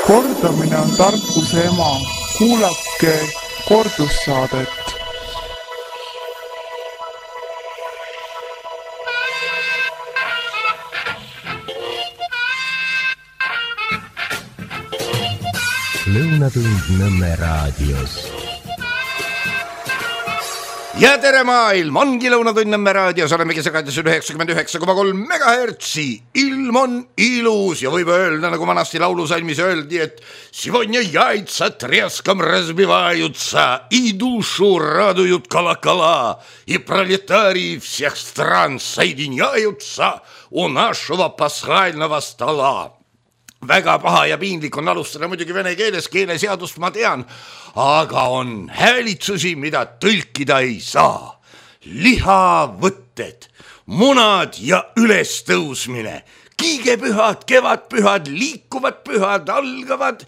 Kordamine on tarkuse ema. Kuulake kordussaadet. Lõunatund Nõmme raadios. Ja tere maailm, ongi Lõunatund Nõmme raadios, olemegi sagedus 99,3 megahertsi. Ilm on ilus ja võib öelda, nagu vanasti laulusalmis öeldi, et сегодня яйца треском разбиваются, и душу радуют колокола, и пролетарии всех стран соединяются у нашего пасхального стола. Väga paha ja piinlik on alustada muidugi vene keeles, keeleseadust ma tean, aga on häälitsusi, mida tõlkida ei saa. Lihavõtted, munad ja ülestõusmine, kiigepühad, kevadpühad, liikuvad pühad algavad.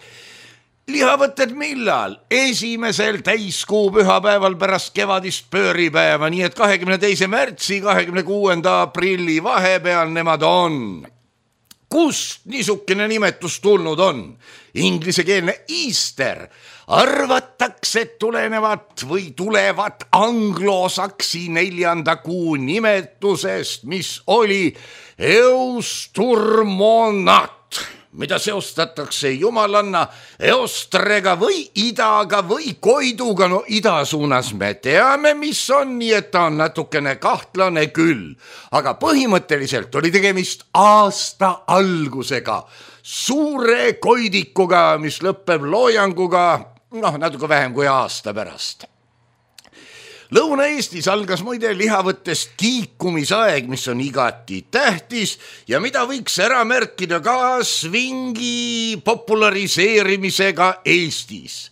Lihavõtted millal? 1. täiskuu pühapäeval pärast kevadist pööripäeva, nii et 22. märtsi, 26. aprilli vahepeal nemad on. Kust niisukene nimetus tulnud on? Inglisekeelne Easter arvatakse tulenevat või tulevat anglosaksi 4. kuu nimetusest, mis oli Eusturmonat, mida seostatakse jumalanna Eostrega või idaga või koiduga. No ida suunas me teame, mis on, nii et ta on natukene kahtlane küll. Aga põhimõtteliselt oli tegemist aasta algusega, suure koidikuga, mis lõpeb loojanguga, natuke vähem kui aasta pärast. Lõuna-Eestis algas muide lihavõttest kiikumisaeg, mis on igati tähtis ja mida võiks ära märkida ka svingi populariseerimisega Eestis.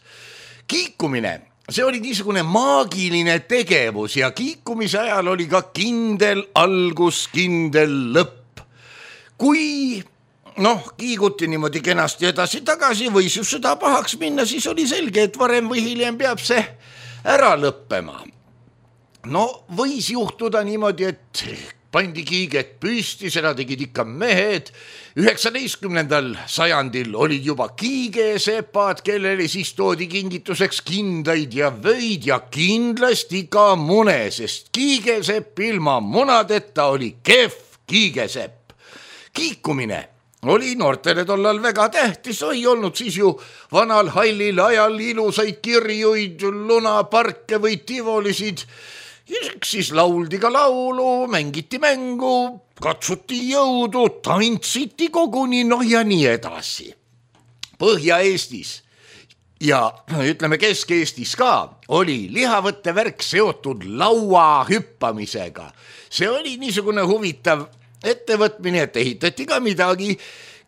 Kiikumine, see oli niisugune maagiline tegevus ja kiikumise ajal oli ka kindel algus, kindel lõpp. Kui kiiguti niimoodi kenasti edasi-tagasi, võis just seda pahaks minna, siis oli selge, et varem või hiljem peab see ära lõppema. Võis juhtuda niimoodi, et pandi kiiget püsti, seda tegid ikka mehed. 19. sajandil olid juba kiigesepad, kellele siis toodi kingituseks kindaid ja vöid ja kindlasti ka mune, sest kiigesepp ilma munadeta oli kehv kiigesepp. Kiikumine oli noortele tollal väga tähtis, ei olnud siis ju vanal hallil ajal ilusaid kirjuid, lunaparke või tivolisid. Siis lauldi ka laulu, mängiti mängu, katsuti jõudu, tantsiti koguni, ja nii edasi. Põhja-Eestis ja ütleme Kesk-Eestis ka oli lihavõttevärk seotud laua hüppamisega. See oli niisugune huvitav ettevõtmine, et ehitati ka midagi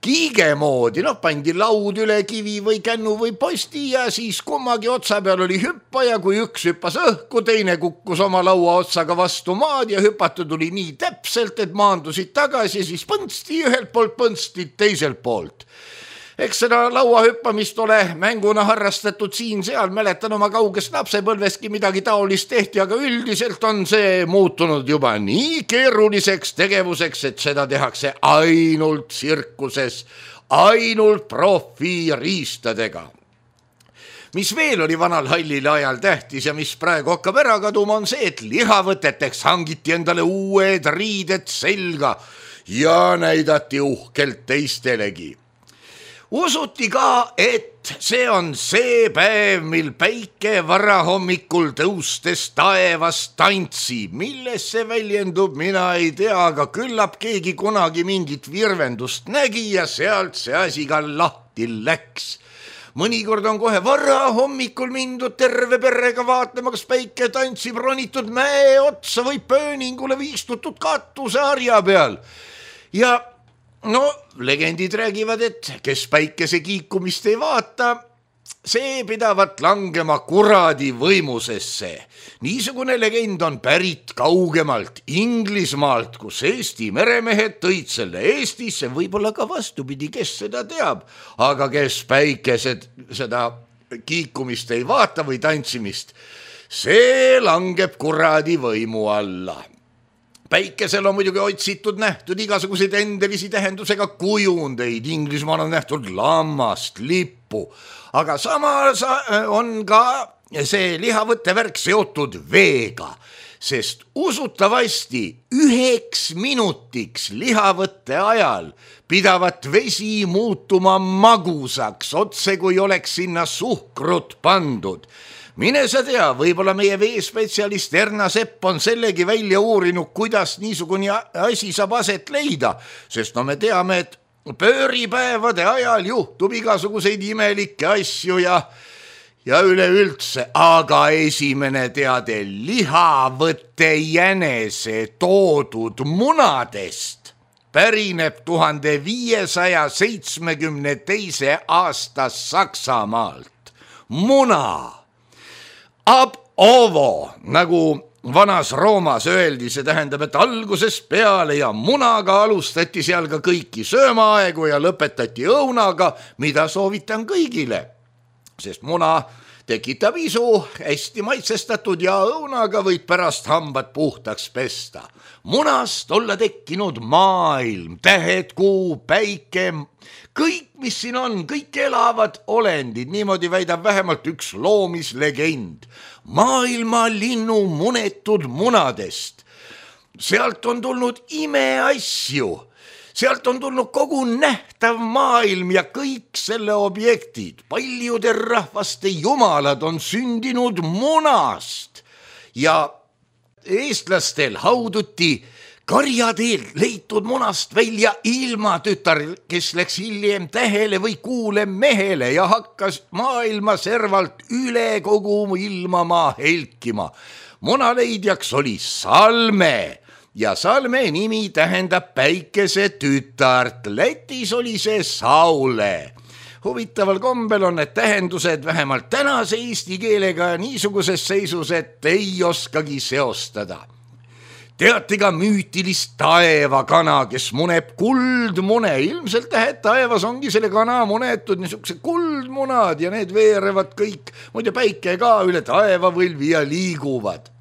kiige moodi, pandi laud üle kivi või kännu või posti ja siis kummagi otsa peal oli hüppaja, kui üks hüppas õhku, teine kukkus oma laua otsaga vastu maad ja hüpata tuli nii täpselt, et maandusid tagasi ja siis põnsti ühelt poolt, põnsti teiselt poolt. Eks seda lauahüppamist ole mänguna harrastatud siin-seal, mäletan oma kaugest lapsepõlvestki midagi taolist tehti, aga üldiselt on see muutunud juba nii keeruliseks tegevuseks, et seda tehakse ainult tsirkuses, ainult profiriistadega. Mis veel oli vanal hallil ajal tähtis ja mis praegu hakkab ära kaduma, on see, et lihavõteteks hangiti endale uued riided selga ja näidati uhkelt teistelegi. Usuti ka, et see on see päev, mil päike varahommikul tõustes taevast tantsib. Milles see väljendub, mina ei tea, aga küllap keegi kunagi mingit virvendust nägi ja sealt see asi ka lahti läks. Mõnikord on kohe varahommikul mindud terve perrega vaatlema, kas päike tantsib, ronitud mäe otsa või pööningule või istutud katuseharja peal. Ja legendid räägivad, et kes päikese kiikumist ei vaata, see pidavat langema kuradi võimusesse. Niisugune legend on pärit kaugemalt Inglismaalt, kus Eesti meremehed tõid selle Eestisse, võib-olla ka vastupidi, kes seda teab, aga kes päikesed seda kiikumist ei vaata või tantsimist, see langeb kuradi võimu alla. päikesel on muidugi otsitud, nähtud igasuguseid endelisi tähendusega kujundeid, Inglismaal on nähtud lammast, lippu, aga samas on ka see lihavõttevärk seotud veega, sest usutavasti 1 minutiks lihavõtte ajal pidavat vesi muutuma magusaks, otse kui oleks sinna suhkrut pandud. Mine sa tea, võib-olla meie veespetsialist Erna Sepp on sellegi välja uurinud, kuidas niisugune asi saab aset leida, sest me teame, et pööripäevade ajal juhtub igasuguseid imelikke asju ja üleüldse, aga esimene teade lihavõtte jänese toodud munadest pärineb 1572. aasta Saksamaalt. Muna. Ab ovo, nagu vanas Roomas öeldi, see tähendab, et algusest peale ja munaga alustati seal ka kõiki söömaaegu ja lõpetati õunaga, mida soovitan kõigile, sest muna tekitab isu, hästi maitsestatud ja õunaga võid pärast hambad puhtaks pesta. Munast olla tekkinud maailm, tähed, kuu, päike, kõik, mis siin on, kõik elavad olendid, niimoodi väidab vähemalt üks loomislegend. Maailma linnu munetud munadest. Sealt on tulnud imeasju, sealt on tulnud kogu nähtav maailm ja kõik selle objektid. Paljude rahvaste jumalad on sündinud munast ja eestlastel hauduti karjateel leitud munast välja ilmatütar, kes läks hiljem tähele või kuule mehele ja hakkas maailma servalt üle kogu ilmamaa helkima. Munaleidjaks oli Salme ja Salme nimi tähendab päikese tütart. Lätis oli see Saule. Huvitaval kombel on need tähendused vähemalt tänase eesti keelega niisuguses seisus, et ei oskagi seostada. Teati ka müütilist taevakana, kes muneb kuldmune. Ilmselt taevas ongi selle kana munetud niisugused kuldmunad ja need veerevad kõik, muide päike ka üle taevavõlvi ja liiguvad.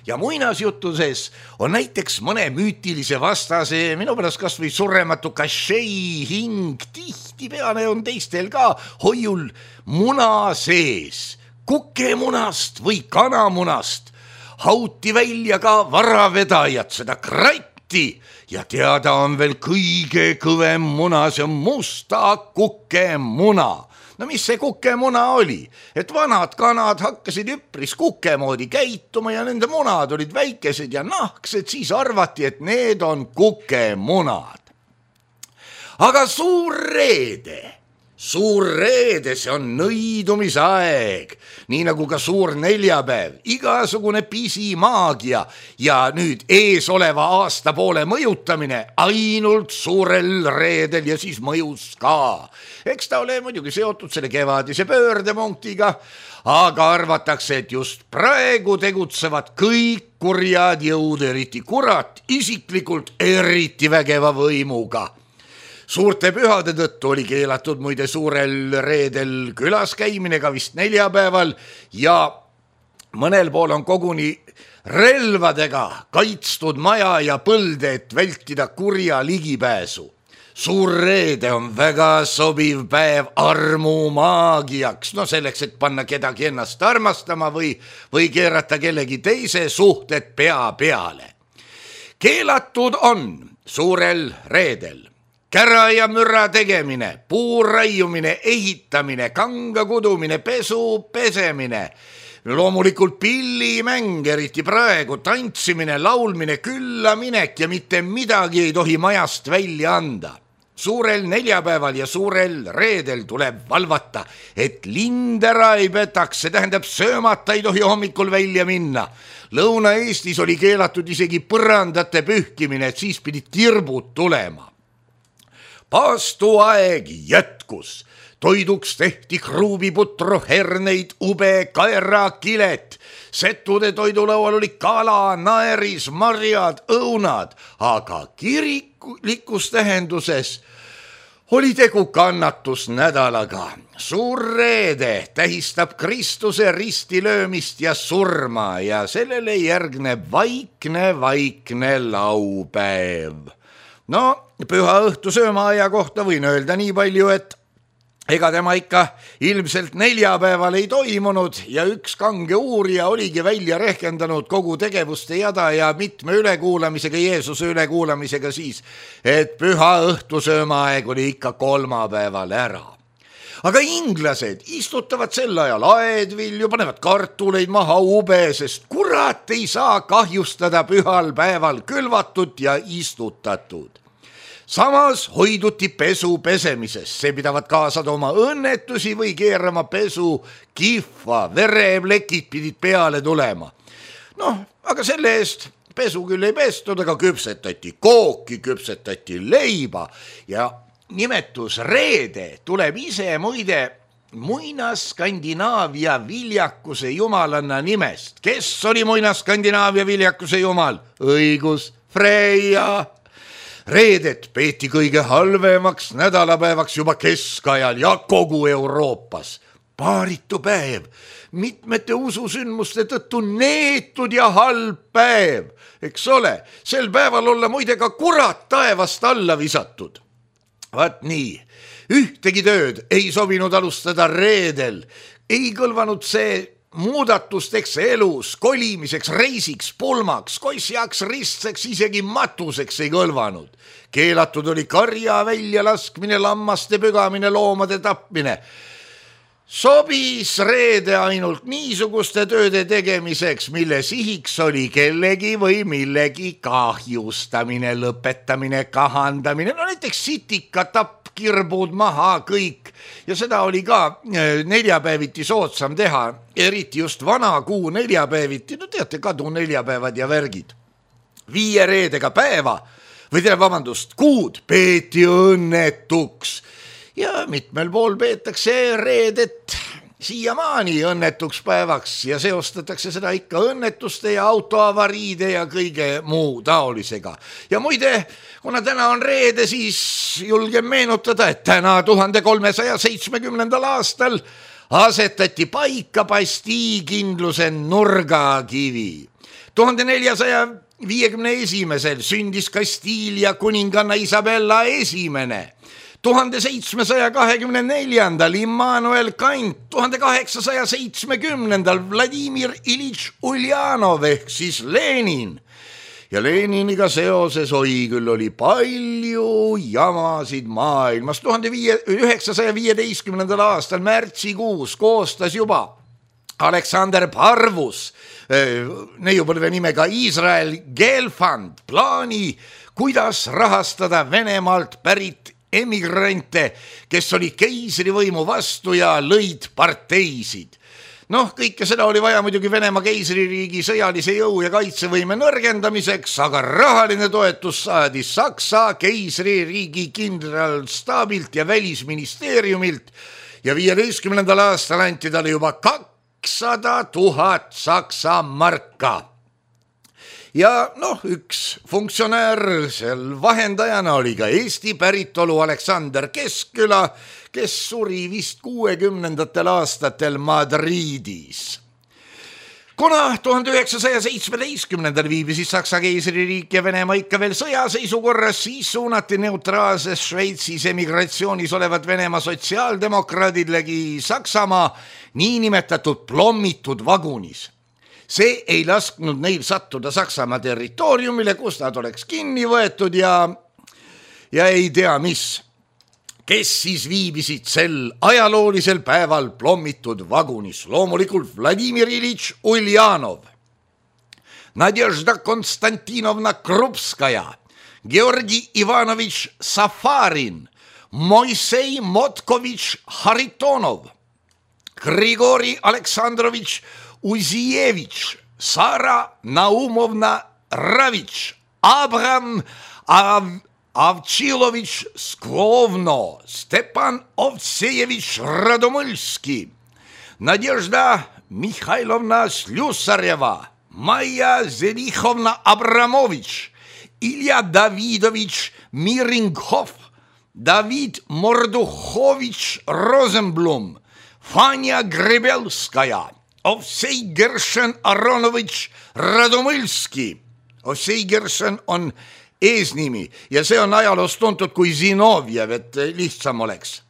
Ja muinasjutuses on näiteks mõne müütilise vastase, minu pärast kas või surematu kašei hing, tihtipeale on teistel ka hoiul muna sees, kukemunast või kanamunast. Hauti välja ka varavedajad, seda kratti ja teada on veel kõige kõvem muna, see on musta kukemuna. No mis see kukemuna oli? Et vanad kanad hakkasid üpris kukemoodi käituma ja nende munad olid väikesed ja nahksed, siis arvati, et need on kukemunad. Aga suur reede, see on nõidumisaeg, nii nagu ka suur neljapäev, igasugune pisimaagia ja nüüd ees oleva aastapoole mõjutamine ainult suurel reedel ja siis mõjus ka. Eks ta ole muidugi seotud selle kevadise pöördepunktiga, aga arvatakse, et just praegu tegutsevad kõik kurjad jõud, eriti kurat, isiklikult eriti vägeva võimuga. Suurte pühade tõttu oli keelatud muide suurel reedel külas käimine ka vist neljapäeval ja mõnel pool on koguni relvadega kaitstud maja ja põlde, et vältida kurja ligipääsu. Suur reede on väga sobiv päev armumaagiaks, selleks, et panna kedagi ennast armastama või keerata kellegi teise suhted pea peale. Keelatud on suurel reedel kära ja mürra tegemine, puu raiumine, ehitamine, kanga kudumine, pesu, pesemine, loomulikult pillimäng, eriti praegu, tantsimine, laulmine, küllaminek ja mitte midagi ei tohi majast välja anda. Suurel neljapäeval ja suurel reedel tuleb valvata, et lind ära ei petaks, see tähendab söömata ei tohi hommikul välja minna. Lõuna-Eestis oli keelatud isegi põrandate pühkimine, et siis pidid tirbud tulema. Paastuaeg jätkus, toiduks tehti kruuviputru, herneid, ube, kaera, kilet. Settude toidulaual oli kala, naeris, marjad, õunad, aga kiriklikus tähenduses Oli tegu kannatusnädalaga. Suur reede tähistab Kristuse ristilöömist ja surma ja sellele järgneb vaikne laupäev. No, püha õhtu söömaaja kohta võin öelda nii palju, et ega tema ikka ilmselt neljapäeval ei toimunud ja üks kange uurija oligi välja rehkendanud kogu tegevuste jada ja mitme ülekuulamisega, Jeesuse ülekuulamisega siis, et püha õhtusöömaaeg oli ikka kolmapäeval ära. Aga inglased istutavad sel ajal aedvilju, panevad kartuleid maha ube, sest kurat ei saa kahjustada pühal päeval külvatud ja istutatud. Samas hoiduti pesu pesemisest, see pidavad kaasa tooma õnnetusi või keerama pesu kihva, vereplekid pidid peale tulema. Noh, aga selle eest pesu küll ei pestud, aga küpsetati kooki, küpsetati leiba ja nimetus reede tuleb ise muide Muina-Skandinaavia viljakuse jumalanna nimest. Kes oli Muina-Skandinaavia viljakuse jumal? Õigus, Freia. Reedet peeti kõige halvemaks nädalapäevaks juba keskajal ja kogu Euroopas. Paaritu päev, mitmete ususündmuste tõttu neetud ja halb päev. Eks ole, sel päeval olla muide ka kurat taevast alla visatud. Vaat nii, ühtegi tööd ei sobinud alustada reedel. Ei kõlvanud see muudatusteks elus, kolimiseks, reisiks, pulmaks, kossjaks, ristseks, isegi matuseks ei kõlvanud. Keelatud oli karja välja laskmine, lammaste pügamine, loomade tapmine. Sobis reede ainult niisuguste tööde tegemiseks, mille sihiks oli kellegi või millegi kahjustamine, lõpetamine, kahandamine, no näiteks sitika tapp, kirbud maha kõik ja seda oli ka neljapäeviti soodsam teha, eriti just vana kuu neljapäeviti, no teate, kadu neljapäevad ja värgid. 5 reedega päeva kuud peeti õnnetuks ja mitmel pool peetakse reedet siiamaani õnnetuks päevaks ja seostatakse seda ikka õnnetuste ja autoavariide ja kõige muu taolisega. Ja muide, kuna täna on reede, siis julgen meenutada, et täna 1370. aastal asetati paika Bastii-kindluse nurgakivi. 1451. sündis Kastiilia kuninganna Isabella esimene. 1724. Immanuel Kant, 1870. Vladimir Ilitš Uljanov ehk siis Lenin. Ja Leniniga seoses küll oli palju jamasid maailmas. 1915. aastal märtsikuus koostas juba Aleksander Parvus, neiupõlve nimega Iisrael Gelfand, plaani, kuidas rahastada Venemaalt pärit emigrante, kes olid keisrivõimu vastu ja lõid parteisid. Noh, kõike seda oli vaja muidugi Venemaa keisririigi sõjalise jõu ja kaitsevõime nõrgendamiseks, aga rahaline toetus saadi Saksa keisririigi kindralstaabilt ja välisministeeriumilt ja 15. aastal anti talle juba 200 000 Saksa marka. Ja noh, üks funktsionäär seal vahendajana oli ka Eesti päritolu Aleksander Keskküla, kes suri vist 60. aastatel Madridis. Kuna 1917. viibisid Saksa keisririik ja Venemaa ikka veel sõjaseisukorras, siis suunati neutraalses Šveitsis emigratsioonis olevad Venemaa sotsiaaldemokraadidlegi Saksamaa niinimetatud plommitud vagunis. See ei lasknud neil sattuda Saksamaa territooriumile, kus nad oleks kinni võetud ja ei tea mis. Kes siis viibisid sel ajaloolisel päeval plommitud vagunis? Loomulikult Vladimir Ilitš Uljanov, Nadežda Konstantinovna Krupskaja, Georgi Ivanovitš Safarin, Moisei Motkovitš Haritonov, Grigori Aleksandrovitš Uzijevitš, Sara Naumovna Ravitš, Abram Avčilovič Sklovno, Stepan Ovsejevič Radomylski, Nadežda Mihailovna Slusareva, Maja Zelichovna Abramovič, Ilja Davidovič Miringhoff, David Morduchovitš Rosenblum, Vanja Grebelskaja, Ovsei Gershon Aronovitš Radomõlski. Ovsei Gershon on eesnimi ja see on ajaloos tuntud kui Zinovjev, et lihtsam oleks.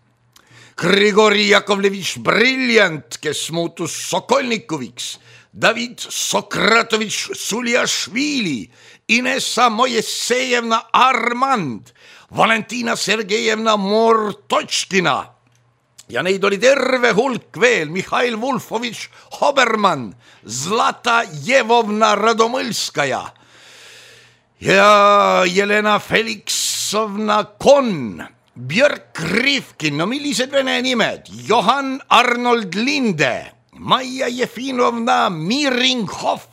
Grigori Jakovlevitš Brilliant, kes muutus Sokolnikoviks, David Sokratovitš Suljašvili, Inessa Mojesejevna Armand, Valentina Sergejevna Mortočkina ja neid oli terve hulk veel, Mihhail Vulfovitš Hoberman, Zlata Jevovna Radomõlskaja ja Jelena Feliksovna Kon, Björk Rivkin, no millised vene nimed, Johan Arnold Linde, Maia Jefinovna Miringhoff,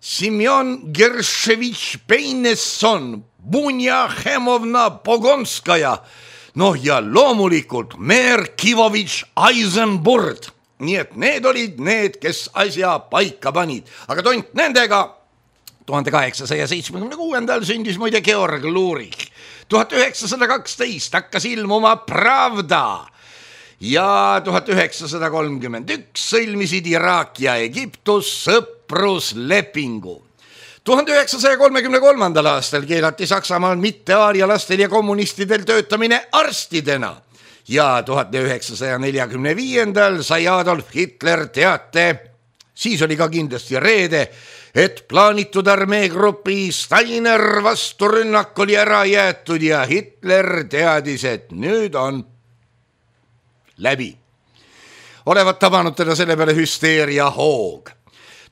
Simjon Gershevitš Peinesson, Bunja Hemovna Pogonskaja, noh ja loomulikult Merkivovitš Eisenburg. Nii et need olid need, kes asja paika panid. Aga tont nendega 1876. sündis muide Georg Lurich. 1912 hakkas ilmuma Pravda ja 1931 sõlmisid Iraak ja Egiptus sõpruslepingu. 1933. aastal keelati Saksamaal mitteaarialastel ja kommunistidel töötamine arstidena ja 1945. sai Adolf Hitler teate, siis oli ka kindlasti reede, et plaanitud armeegrupi Steiner vasturünnak oli ära jäetud ja Hitler teadis, et nüüd on läbi. Olevat tabanud teda selle peale hüsteeria hoog.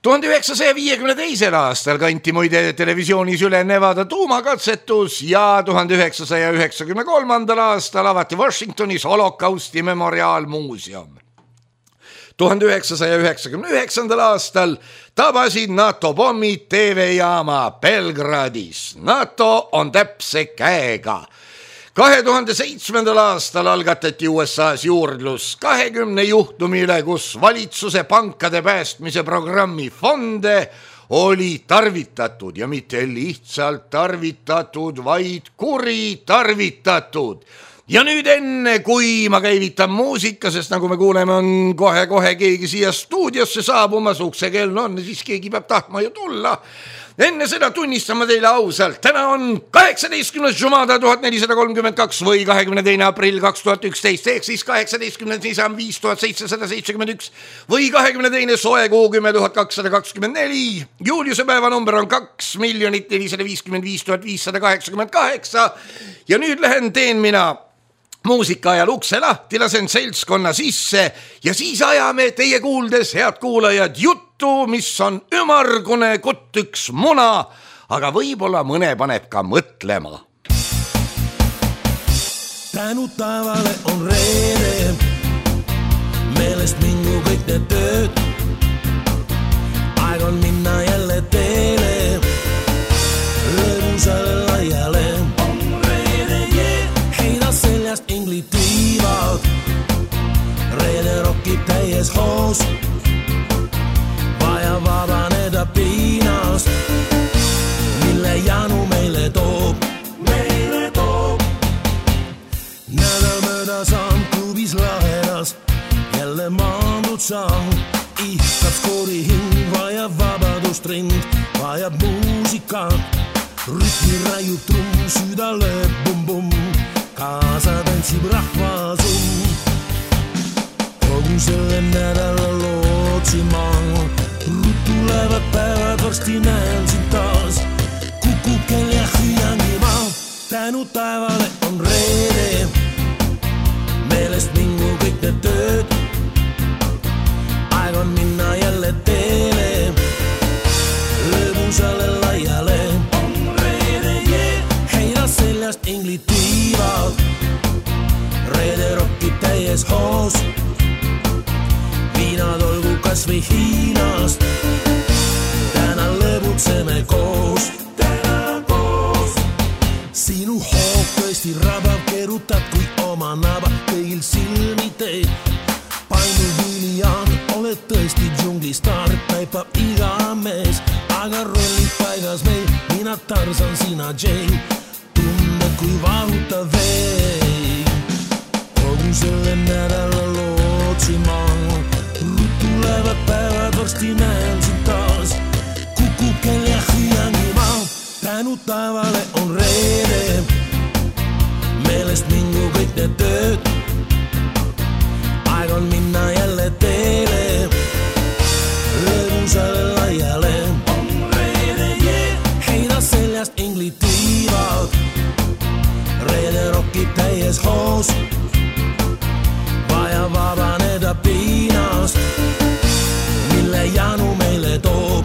1952. aastal kanti muide televisioonis üle Nevada tuumakatsetus ja 1993. aastal avati Washingtonis holokausti memoriaalmuuseum. 1999. aastal tabasid NATO pommid TV-jaama Belgradis. NATO on täpse käega. 2007. aastal algatati USA's juurdlus 20 juhtumi üle, kus valitsuse pankade päästmise programmi fonde oli tarvitatud ja mitte lihtsalt tarvitatud, vaid kuritarvitatud. Ja nüüd enne, kui ma käivitan muusika, sest nagu me kuuleme, on kohe keegi siia stuudiosse saabumas, uksekell on, siis keegi peab tahtma ju tulla. Enne seda tunnistan ma teile ausalt, täna on 18. Jumada 1432 või 22. aprill 2011, ehk siis 18. Nisan 5771 või 22. soe kuu 10.224. Juuliuse päeva number on 2 455 588 ja nüüd teen mina muusika ajal ukse lahti, lasen seltskonna sisse ja siis ajame teie kuuldes, head kuulajad, juttu, mis on ümargune kutt üks muna, aga võib-olla mõne paneb ka mõtlema. Tänu taevale on reede, meelest mingu kõik need tööd. Aeg on minna jälle teele, lõbusale laiale. Seljast inglid tiivad, reede rokib täies hoos, vaja vabaneda piinast, mille janu meile toob. Nädal mööda saan klubis lahedas, jälle maandud saan, ihkab skoori hing, vajab vabadust rind, vajab muusikat, rütmi raiub trumm, süda lööb bum-bum. Kaasa tantsib rahvasum, kogu selle nädala lootsima, tulevad päevad, varsti näen sind taas, kukub kell ja hüüangi ma. Tänu taevale on reede, meelest mingu kõik need tööd, aeg on minna jälle teele, lõbusale laiale. Heida seljast inglid tiivad, reede rokib täies hoos, viinad olgu kas või Hiinast, täna lõbutseme koos. Sinu hoog tõesti rabab, keerutad kui oma naba, kõigil silmi teed, paindu William, oled tõesti džunglistaar, taipab iga mees, aga rollid paigas meil, mina Tarzan, sina Jane, tunne kui vahuta veel. täies hoos, vaja vabaneda piinast, mille janu meile toob.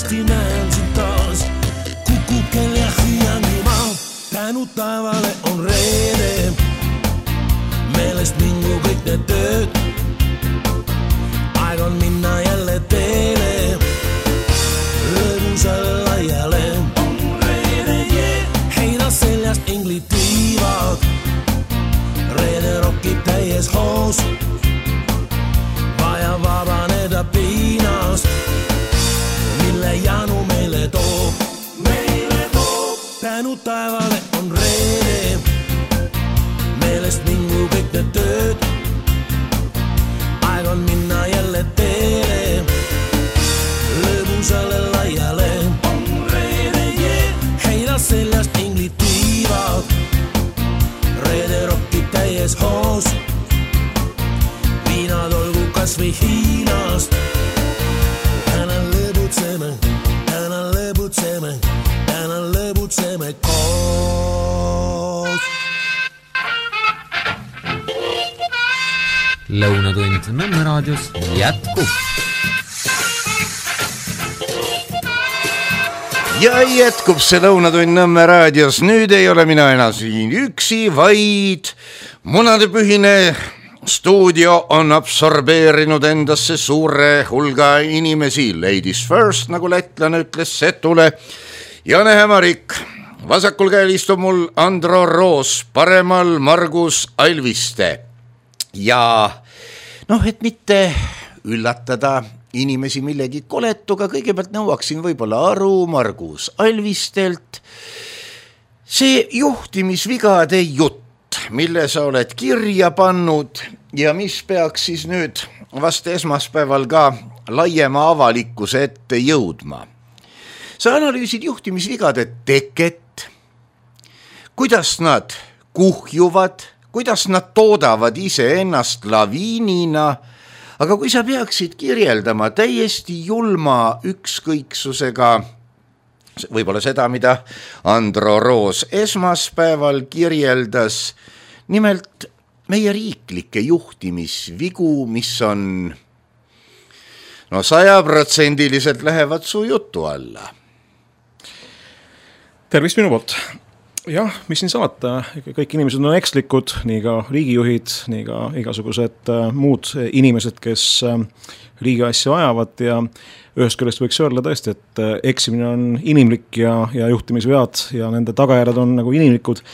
Näen sind taas, kukukel ja hüüangi maa. Tänu taevale on reede, meelest mingu kõik need tööd. Aeg on minna jälle teele, lõbusale laiale. On reede, heida seljast inglid tiivad, reede rokib täies hoos, vaja vabaneda piinast, mille janu meile toob. Tänu taevale on reede, meelest mingu kõik need tööd. Aeg on minna jälle teele, lõbusale laiale. On reede, heida seljast inglid tiivad, reede rokib täies hoos, viinad olgu kas või Hiinast. Täna lõbutseme koos. Lõunatund Nõmme raadios jätkub. Ja jätkub see Lõunatund Nõmme raadios. Nüüd ei ole mina enam siin üksi, vaid munadepühine stuudio on absorbeerinud endasse suure hulga inimesi. Ladies first, nagu lätlane ütles Setule. Jane Hämarik, vasakul käel istub mul Andro Roos, paremal Margus Alviste. Ja et mitte üllatada inimesi millegi koletuga, kõigepealt nõuaksin võib-olla aru Margus Alvistelt. See juhtimisvigade jutt, mille sa oled kirja pannud ja mis peaks siis nüüd vast esmaspäeval ka laiema avalikkuse ette jõudma. Sa analüüsid juhtimisvigade teket, kuidas nad kuhjuvad, kuidas nad toodavad ise ennast laviinina, aga kui sa peaksid kirjeldama täiesti julma ükskõiksusega, võib-olla seda, mida Andro Roos esmaspäeval kirjeldas, nimelt meie riiklikke juhtimisvigu, mis on 100% lähevad su jutu alla. Tervist minu poolt. Jah, mis siin salata, kõik inimesed on ekslikud, nii ka riigijuhid, nii ka igasugused muud inimesed, kes riigi asja ajavad ja ühest küljest võiks öelda tõesti, et eksimine on inimlik ja juhtimisvead ja nende tagajärjed on nagu inimlikud,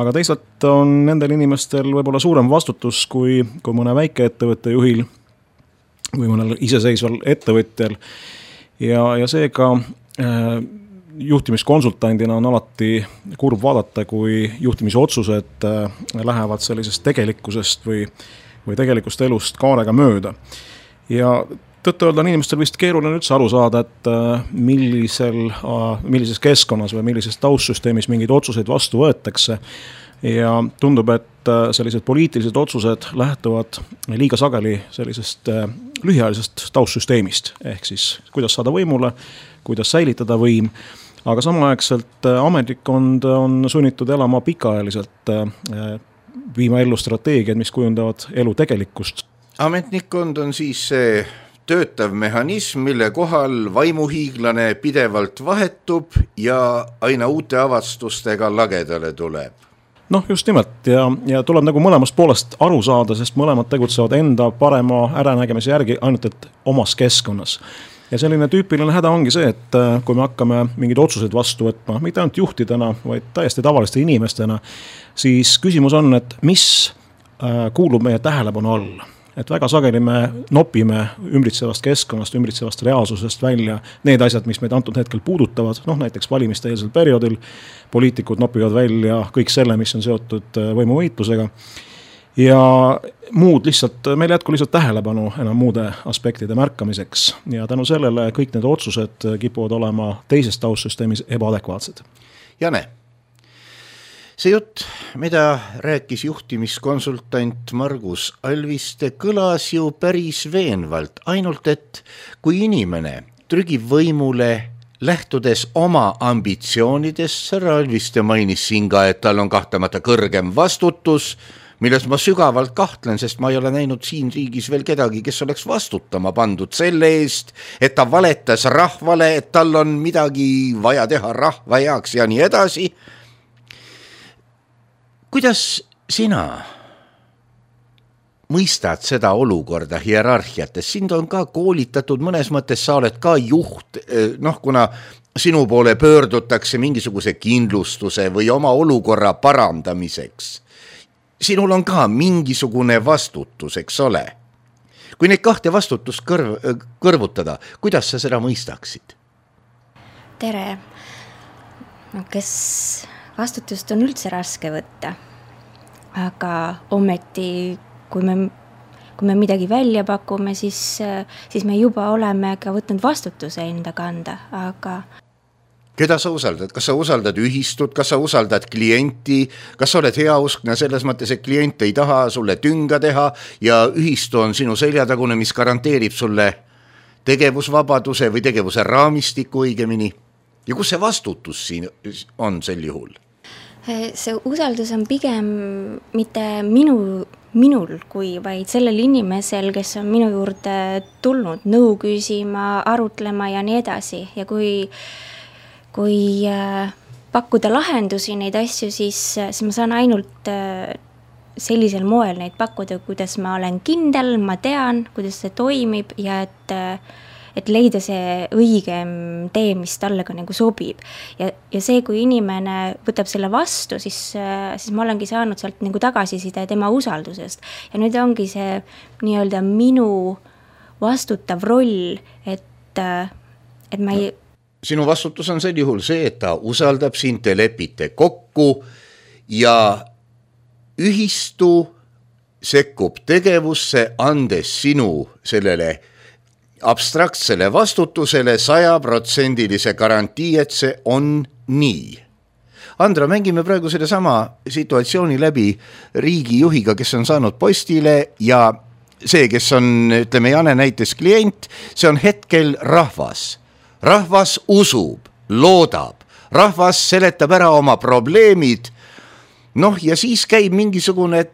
aga teisalt on nendel inimestel võib-olla suurem vastutus kui mõne väikeettevõtte juhil või mõnel iseseisval ettevõtjal ja seega juhtimiskonsultandina on alati kurb vaadata, kui juhtimisotsused lähevad sellisest tegelikkusest või tegelikust elust kaarega mööda. Ja tõtt-öelda on inimestel vist keeruline üldse aru saada, et millises keskkonnas või millises taustsüsteemis mingeid otsuseid vastu võetakse. Ja tundub, et sellised poliitilised otsused lähtuvad liiga sageli sellisest lühiajalisest taustsüsteemist. Ehk siis, kuidas saada võimule, kuidas säilitada võim, aga samaaegselt ametnikkond on sunnitud elama pikaajaliselt, viima ellu strateegiad, mis kujundavad elu tegelikkust. Ametnikkond on siis see töötav mehhanism, mille kohal vaimuhiiglane pidevalt vahetub ja aina uute avastustega lagedale tuleb. Just nimelt ja tuleb nagu mõlemast poolest aru saada, sest mõlemad tegutsevad enda parema äranägemise järgi ainult et omas keskkonnas. Ja selline tüüpiline häda ongi see, et kui me hakkame mingeid otsuseid vastu võtma, mitte ainult juhtidena, vaid täiesti tavaliste inimestena, siis küsimus on, et mis kuulub meie tähelepanu alla. Et väga sageli me nopime ümbritsevast keskkonnast, ümbritsevast reaalsusest välja need asjad, mis meid antud hetkel puudutavad, näiteks valimiste eelsel perioodil poliitikud nopivad välja kõik selle, mis on seotud võimuvõitlusega. ja muud lihtsalt, meil jätku lihtsalt tähelepanu enam muude aspektide märkamiseks ja tänu sellele kõik need otsused kipuvad olema teises taustsüsteemis ebaadekvaatsed. Jane, see jutt, mida rääkis juhtimiskonsultant Margus Alviste, kõlas ju päris veenvalt, ainult et kui inimene trügib võimule lähtudes oma ambitsioonidest, härra Alviste mainis siin ka, et tal on kahtlemata kõrgem vastutus, milles ma sügavalt kahtlen, sest ma ei ole näinud siin riigis veel kedagi, kes oleks vastutama pandud selle eest, et ta valetas rahvale, et tal on midagi vaja teha rahva heaks ja nii edasi. Kuidas sina mõistad seda olukorda hierarhiates? Sind on ka koolitatud, mõnes mõttes sa oled ka juht, kuna sinu poole pöördutakse mingisuguse kindlustuse või oma olukorra parandamiseks. Sinul on ka mingisugune vastutus, eks ole. Kui neid kahte vastutust kõrvutada, kuidas sa seda mõistaksid? Tere. Kes vastutust on üldse raske võtta, aga ometi kui me midagi välja pakume, siis me juba oleme ka võtnud vastutuse enda kanda, aga keda sa usaldad? Kas sa usaldad ühistut, kas sa usaldad klienti, kas sa oled heauskne selles mõttes, et klient ei taha sulle tünga teha ja ühistu on sinu seljatagune, mis garanteerib sulle tegevusvabaduse või tegevuse raamistiku õigemini? Ja kus see vastutus siin on sel juhul? See usaldus on pigem mitte minul kui vaid sellel inimesel, kes on minu juurde tulnud nõu küsima, arutlema ja nii edasi. Ja kui pakkuda lahendusi neid asju, siis ma saan ainult sellisel moel neid pakkuda, kuidas ma olen kindel, ma tean, kuidas see toimib ja et leida see õigem tee, mis talle ka nagu sobib. Ja see, kui inimene võtab selle vastu, siis ma olengi saanud sealt nagu tagasiside tema usaldusest. Ja nüüd ongi see nii-öelda minu vastutav roll, et ma ei Sinu vastutus on sel juhul see, et ta usaldab sind, te lepite kokku ja ühistu sekkub tegevusse, andes sinu sellele abstraktsele vastutusele 100% garantii, et see on nii. Andra, mängime praegu selle sama situatsiooni läbi riigijuhiga, kes on saanud postile ja see, kes on, ütleme, Jane näites klient, see on hetkel rahvas. Rahvas usub, loodab, rahvas seletab ära oma probleemid, ja siis käib mingisugune, et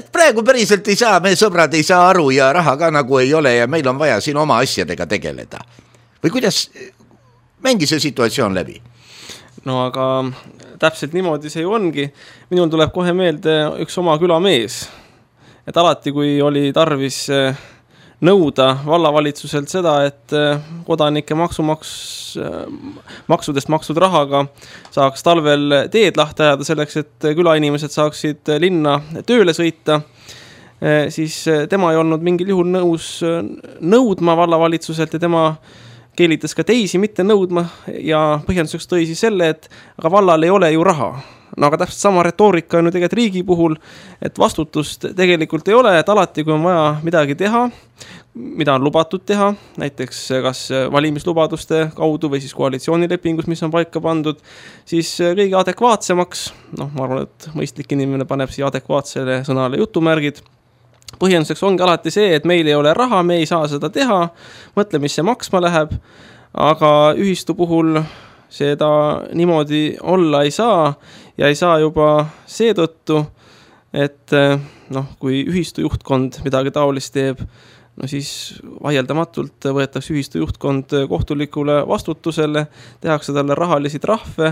praegu päriselt ei saa, meie sõbrad ei saa aru ja raha ka nagu ei ole ja meil on vaja siin oma asjadega tegeleda. Või kuidas, mängi see situatsioon läbi? No aga täpselt niimoodi see ju ongi. Minul tuleb kohe meelde üks oma külamees, et alati kui oli tarvis nõuda vallavalitsuselt seda, et kodanike maksudest maksud rahaga saaks talvel teed lahti ajada selleks, et külainimesed saaksid linna tööle sõita, siis tema ei olnud mingil juhul nõus nõudma vallavalitsuselt ja tema keelitas ka teisi mitte nõudma ja põhjenduseks tõi siis selle, et aga vallal ei ole ju raha. No aga täpselt sama retoorika on ju tegelikult riigi puhul, et vastutust tegelikult ei ole, et alati kui on vaja midagi teha, mida on lubatud teha, näiteks kas valimislubaduste kaudu või siis koalitsioonilepingus, mis on paika pandud, siis kõige adekvaatsemaks, ma arvan, et mõistlik inimene paneb siia adekvaatsele sõnale jutumärgid, põhjenduseks ongi alati see, et meil ei ole raha, me ei saa seda teha, mõtle, mis see maksma läheb, aga ühistu puhul seda niimoodi olla ei saa ja ei saa juba seetõttu, et kui ühistu juhtkond midagi taolist teeb, siis vaieldamatult võetakse ühistu juhtkond kohtulikule vastutusele, tehakse talle rahalisi trahve,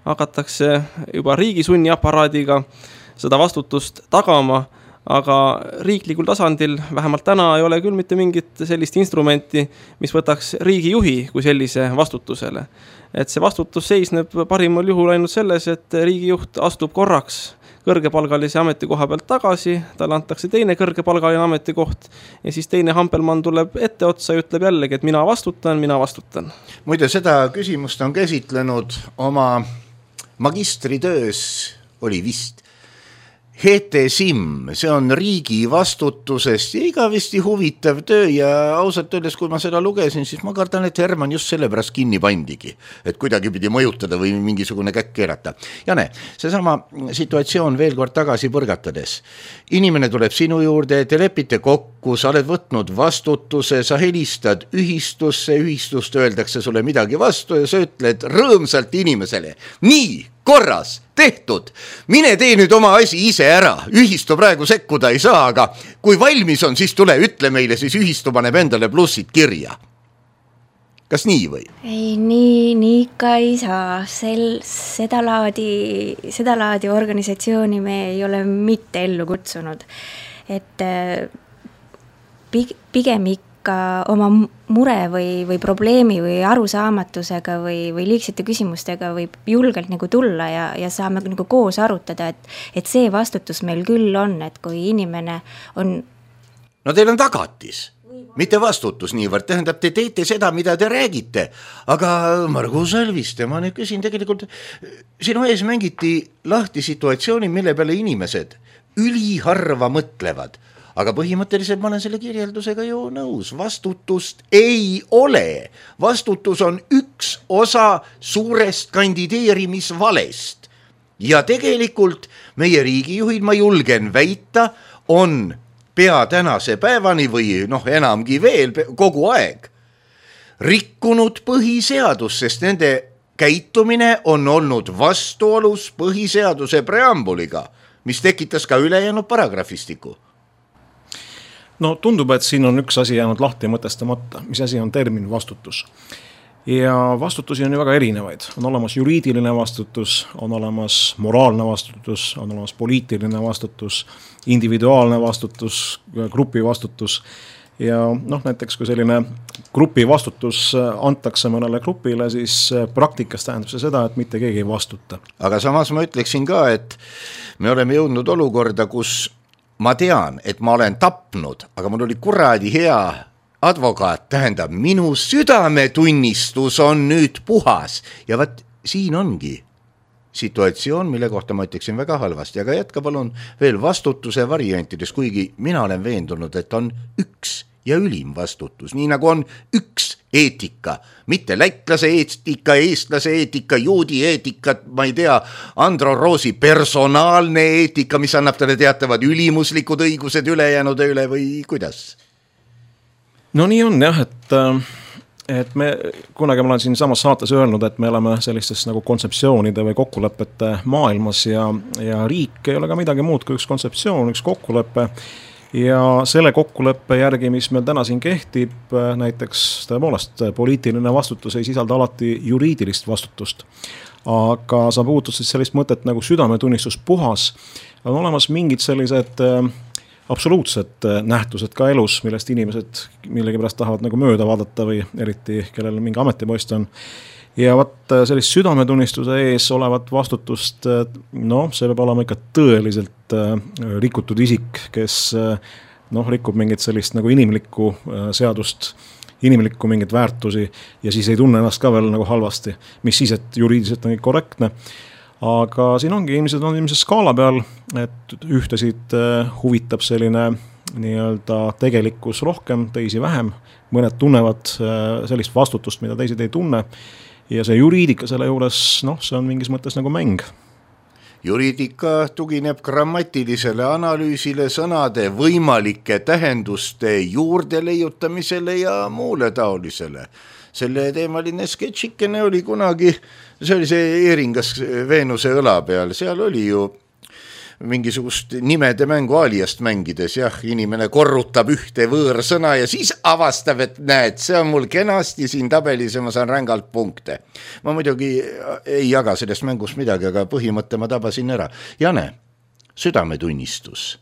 hakatakse juba riigi sunniaparaadiga seda vastutust tagama, aga riiklikul tasandil vähemalt täna ei ole küll mitte mingit sellist instrumenti, mis võtaks riigijuhi kui sellise vastutusele. Et see vastutus seisneb parimal juhul ainult selles, et riigijuht astub korraks kõrgepalgalise ametikoha pealt tagasi, talle antakse teine kõrgepalgaline ametikoht ja siis teine hampelmann tuleb ette otsa ja ütleb jällegi, et mina vastutan. Muide, seda küsimust on käsitlenud oma magistritöös, oli vist HTSIM, see on riigi vastutusest ja igavesti huvitav töö ja ausalt öeldes, kui ma seda lugesin, siis ma kardan, et Herman just sellepärast kinni pandigi, et kuidagi pidi mõjutada või mingisugune käkk keerata. Jane, seesama situatsioon veel kord tagasi põrgatades. Inimene tuleb sinu juurde, te lepite kokku, sa oled võtnud vastutuse, sa helistad ühistust öeldakse sulle midagi vastu ja sa ütled rõõmsalt inimesele. Nii, korras, tehtud, mine tee nüüd oma asi ise ära, ühistu praegu sekkuda ei saa, aga kui valmis on, siis tule, ütle meile, siis ühistu paneb endale plussid kirja. Kas nii või? Ei, nii ikka ei saa, seda laadi organisatsiooni me ei ole mitte ellu kutsunud, et pigem ikka oma mure või probleemi või arusaamatusega või liigsete küsimustega võib julgelt nagu tulla ja saame nagu koos arutada, et see vastutus meil küll on, et kui inimene on... No teil on tagatis, mitte vastutus niivõrd, tähendab, te teete seda, mida te räägite, aga Margus Alviste, ma nüüd küsin tegelikult, sinu ees mängiti lahti situatsiooni, mille peale inimesed üliharva mõtlevad. Aga põhimõtteliselt ma olen selle kirjeldusega ju nõus. Vastutust ei ole. Vastutus on üks osa suurest kandideerimisvalest. Ja tegelikult meie riigijuhid, ma julgen väita, on pea tänase päevani või enamgi veel kogu aeg rikkunud põhiseadus, sest nende käitumine on olnud vastuolus põhiseaduse preambuliga, mis tekitas ka ülejäänud paragrahvistiku. No tundub, et siin on üks asi jäänud lahti mõtestamata, mis asi on termin vastutus. Ja vastutusi on ju väga erinevaid. On olemas juriidiline vastutus, on olemas moraalne vastutus, on olemas poliitiline vastutus, individuaalne vastutus, grupi vastutus. Ja näiteks kui selline grupi vastutus antakse mõnele grupile, siis praktikas tähendab see seda, et mitte keegi ei vastuta. Aga samas ma ütleksin ka, et me oleme jõudnud olukorda, kus ma tean, et ma olen tapnud, aga mul oli kuradi hea advokaat, tähendab, minu südametunnistus on nüüd puhas. Ja vaat siin ongi situatsioon, mille kohta ma ütleksin väga halvasti, aga jätka palun veel vastutuse variantides, kuigi mina olen veendunud, et on üks ja ülim vastutus, nii nagu on üks eetika, mitte lätlase eetika, eestlase eetika, juudi eetika, ma ei tea, Andro Roosi personaalne eetika, mis annab talle teatavad ülimuslikud õigused ülejäänude üle või kuidas? No nii on jah, et me kunagi ma olen siin samas saates öelnud, et me oleme sellistes nagu kontseptsioonide või kokkulepete maailmas ja riik ei ole ka midagi muud kui üks kontseptsioon, üks kokkulepe. Ja selle kokkuleppe järgi, mis meil täna siin kehtib, näiteks tõepoolest poliitiline vastutus ei sisalda alati juriidilist vastutust. Aga sa puutud siis sellist mõtet nagu südametunnistus puhas. On olemas mingid sellised absoluutsed nähtused ka elus, millest inimesed millegipärast tahavad nagu mööda vaadata või eriti kellel mingi ametipost on. Ja vaat sellist südametunnistuse ees olevat vastutust, see peab olema ikka tõeliselt rikutud isik, kes rikub mingit sellist nagu inimlikku seadust, inimlikku mingit väärtusi ja siis ei tunne ennast ka veel nagu halvasti, mis siis, et juriidiliselt on korrektne. Aga siin ongi inimesed skaala peal, et ühtesid huvitab selline nii-öelda tegelikkus rohkem, teisi vähem, mõned tunnevad sellist vastutust, mida teised ei tunne. Ja see juriidika selle juures, see on mingis mõttes nagu mäng. Juriidika tugineb grammatilisele analüüsile, sõnade võimalike tähenduste juurde leiutamisele ja muule taolisele. Selle teemaline sketšikene oli kunagi, see oli see Eeringas Veenuse õla peal, seal oli ju mingisugust nimede mängu aliast mängides, inimene korrutab ühte võõrsõna ja siis avastab, et näed, see on mul kenasti siin tabelis ja ma saan rängalt punkte. Ma muidugi ei jaga sellest mängust midagi, aga põhimõtte ma tabasin ära. Jane, südametunnistus.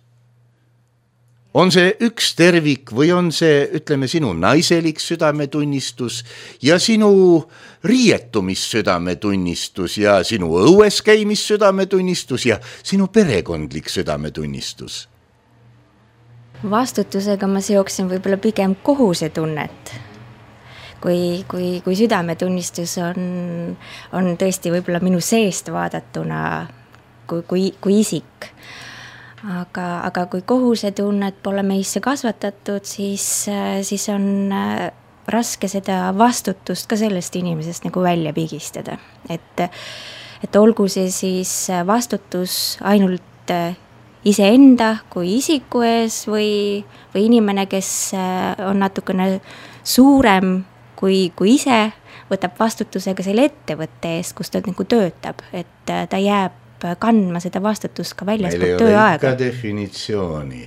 On see üks tervik või on see, ütleme, sinu naiselik südametunnistus ja sinu riietumissüdametunnistus ja sinu õues käimissüdametunnistus ja sinu perekondlik südametunnistus? Vastutusega ma seoksin võib-olla pigem kohusetunnet. Kui südametunnistus on tõesti võib-olla minu seest vaadatuna kui isik. aga kui kohusetunnet pole meisse kasvatatud, siis on raske seda vastutust ka sellest inimesest nagu välja pigistada. Et olgu see siis vastutus ainult iseenda kui isiku ees või inimene, kes on natukene suurem kui ise, võtab vastutusega selle ettevõtte eest, kus ta nagu töötab, et ta jääb kandma seda vastutust ka väljaspool tööaega. Meil ei ole ikka definitsiooni.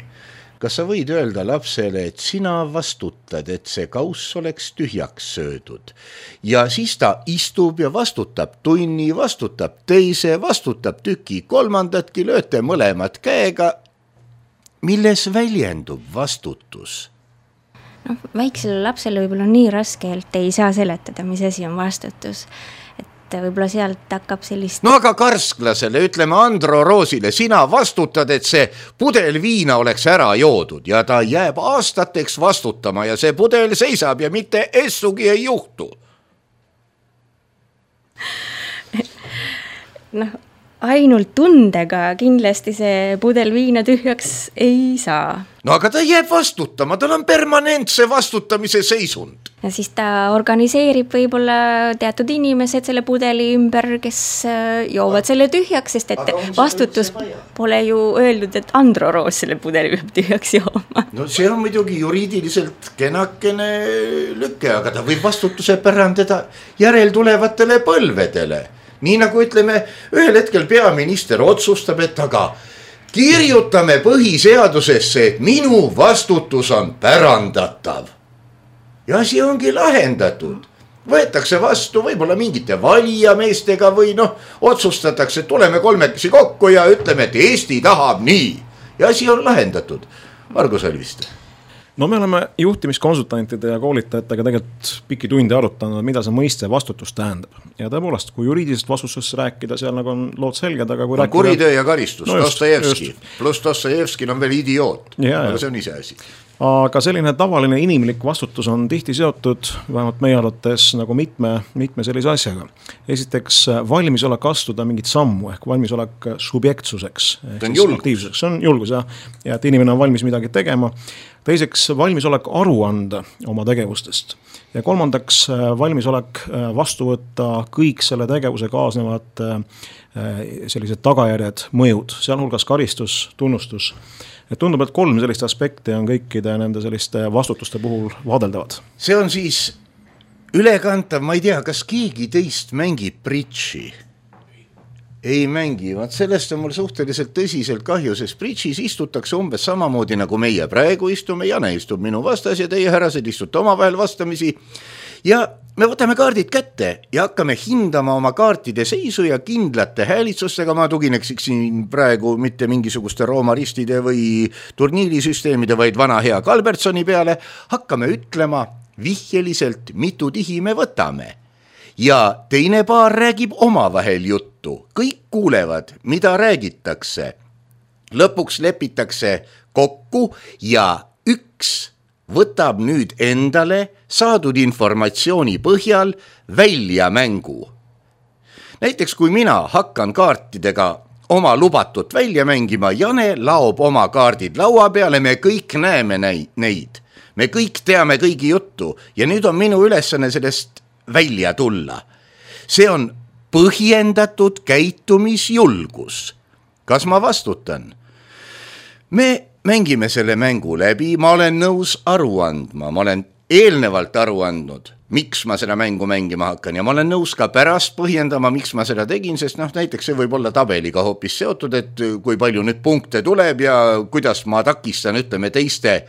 Kas sa võid öelda lapsele, et sina vastutad, et see kauss oleks tühjaks söödud? Ja siis ta istub ja vastutab tunni, vastutab teise, vastutab tüki kolmandatki, lööte mõlemad käega. Milles väljendub vastutus? No, väiksele lapsele võib-olla nii raskelt ei saa seletada, mis asi on vastutus. Võib-olla sealt hakkab sellist... No aga karsklasele, ütleme Andro Roosile, sina vastutad, et see pudel viina oleks ära joodud ja ta jääb aastateks vastutama ja see pudel seisab ja mitte essugi ei juhtu. Noh, ainult tundega kindlasti see pudel viina tühjaks ei saa. No aga ta jääb vastutama, tal on permanentse vastutamise seisund. Ja siis ta organiseerib võib-olla teatud inimesed selle pudeli ümber, kes joovad selle tühjaks, sest et vastutus pole ju öeldud, et Andro Roos selle pudeli peab tühjaks jooma. No see on muidugi juriidiliselt kenakene lükke, aga ta võib vastutuse pärandada järeltulevatele põlvedele. Nii nagu ütleme, ühel hetkel peaminister otsustab, et aga kirjutame põhiseadusesse, et minu vastutus on pärandatav. Ja asi ongi lahendatud. Võetakse vastu võib-olla mingite valijameestega või otsustatakse, et tuleme kolmekesi kokku ja ütleme, et Eesti tahab nii. Ja asi on lahendatud. Margus Alviste. No me oleme juhtimiskonsultantide ja koolitajatega tegelikult pikki tunde arutanud, mida see mõiste vastutus tähendab. Ja tõepoolest, kui juriidilisest vastutusest rääkida, seal nagu on lood selged, aga kui rääkida... Kuritöö ja karistus, Dostojevski. Plus Dostojevski on veel idioot, aga see on ise asi. Aga selline tavaline inimlik vastutus on tihti seotud, vähemalt meie arvates, nagu mitme sellise asjaga. Esiteks valmisolek astuda mingit sammu ehk valmisolek subjektsuseks. See on julgus. See on julgus, jah. Ja et inimene on valmis midagi tegema. Teiseks valmisolek aru anda oma tegevustest. Ja kolmandaks valmisolek vastu võtta kõik selle tegevuse kaasnevad sellised tagajärjed, mõjud, sealhulgas karistus, tunnustus. Et tundub, et 3 sellist aspekti on kõikide nende selliste vastutuste puhul vaadeldavad. See on siis ülekantav, ma ei tea, kas keegi teist mängib bridži? Ei mängi, vaat sellest on mul suhteliselt tõsiselt kahju, sest bridžis istutakse umbes samamoodi nagu meie praegu istume, Jane istub minu vastas ja teie härrased istute omavahel vastamisi ja me võtame kaardid kätte ja hakkame hindama oma kaartide seisu ja kindlate häälitsustega, ma tugineksin praegu mitte mingisuguste roomaristide või turniirisüsteemide, vaid vana hea Kalbertsoni peale, hakkame ütlema vihjeliselt, mitu tihi me võtame. Ja teine paar räägib omavahel juttu, kõik kuulevad, mida räägitakse. Lõpuks lepitakse kokku ja üks võtab nüüd endale saadud informatsiooni põhjal välja mängu. Näiteks kui mina hakkan kaartidega oma lubatut välja mängima, Jane laob oma kaardid laua peale, me kõik näeme neid. Me kõik teame kõigi juttu ja nüüd on minu ülesanne sellest välja tulla. See on põhjendatud käitumisjulgus. Kas ma vastutan? Me mängime selle mängu läbi, ma olen nõus aru andma, ma olen eelnevalt aru andnud, miks ma seda mängu mängima hakkan ja ma olen nõus ka pärast põhjendama, miks ma seda tegin, sest näiteks see võib olla tabeliga hoopis seotud, et kui palju nüüd punkte tuleb ja kuidas ma takistan, ütleme teiste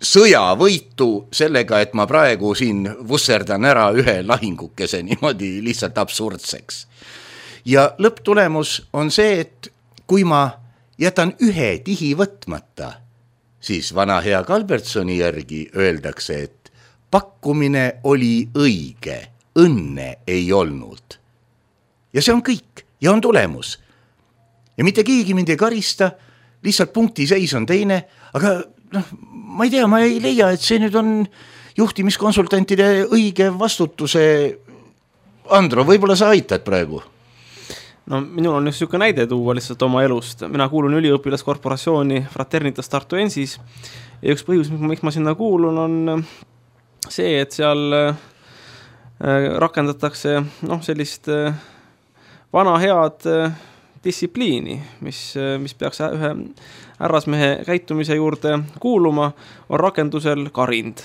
sõjavõitu sellega, et ma praegu siin vusserdan ära ühe lahingukese niimoodi lihtsalt absurdseks. Ja lõpptulemus on see, et kui ma jätan ühe tihi võtmata, siis vana hea Kalbertsoni järgi öeldakse, et pakkumine oli õige, õnne ei olnud. Ja see on kõik ja on tulemus. Ja mitte keegi mind ei karista, lihtsalt punkti seis on teine, aga ma ei tea, ma ei leia, et see nüüd on juhtimiskonsultantide õige vastutuse. Andro, võib-olla sa aitad praegu? no minul on üks niisugune näide tuua lihtsalt oma elust. Mina kuulun üliõpilaskorporatsiooni Fraternitas Tartuensis ja üks põhjus, miks ma sinna kuulun, on see, et seal rakendatakse sellist vana head distsipliini, mis peaks ühe härrasmehe käitumise juurde kuuluma, on rakendusel karind.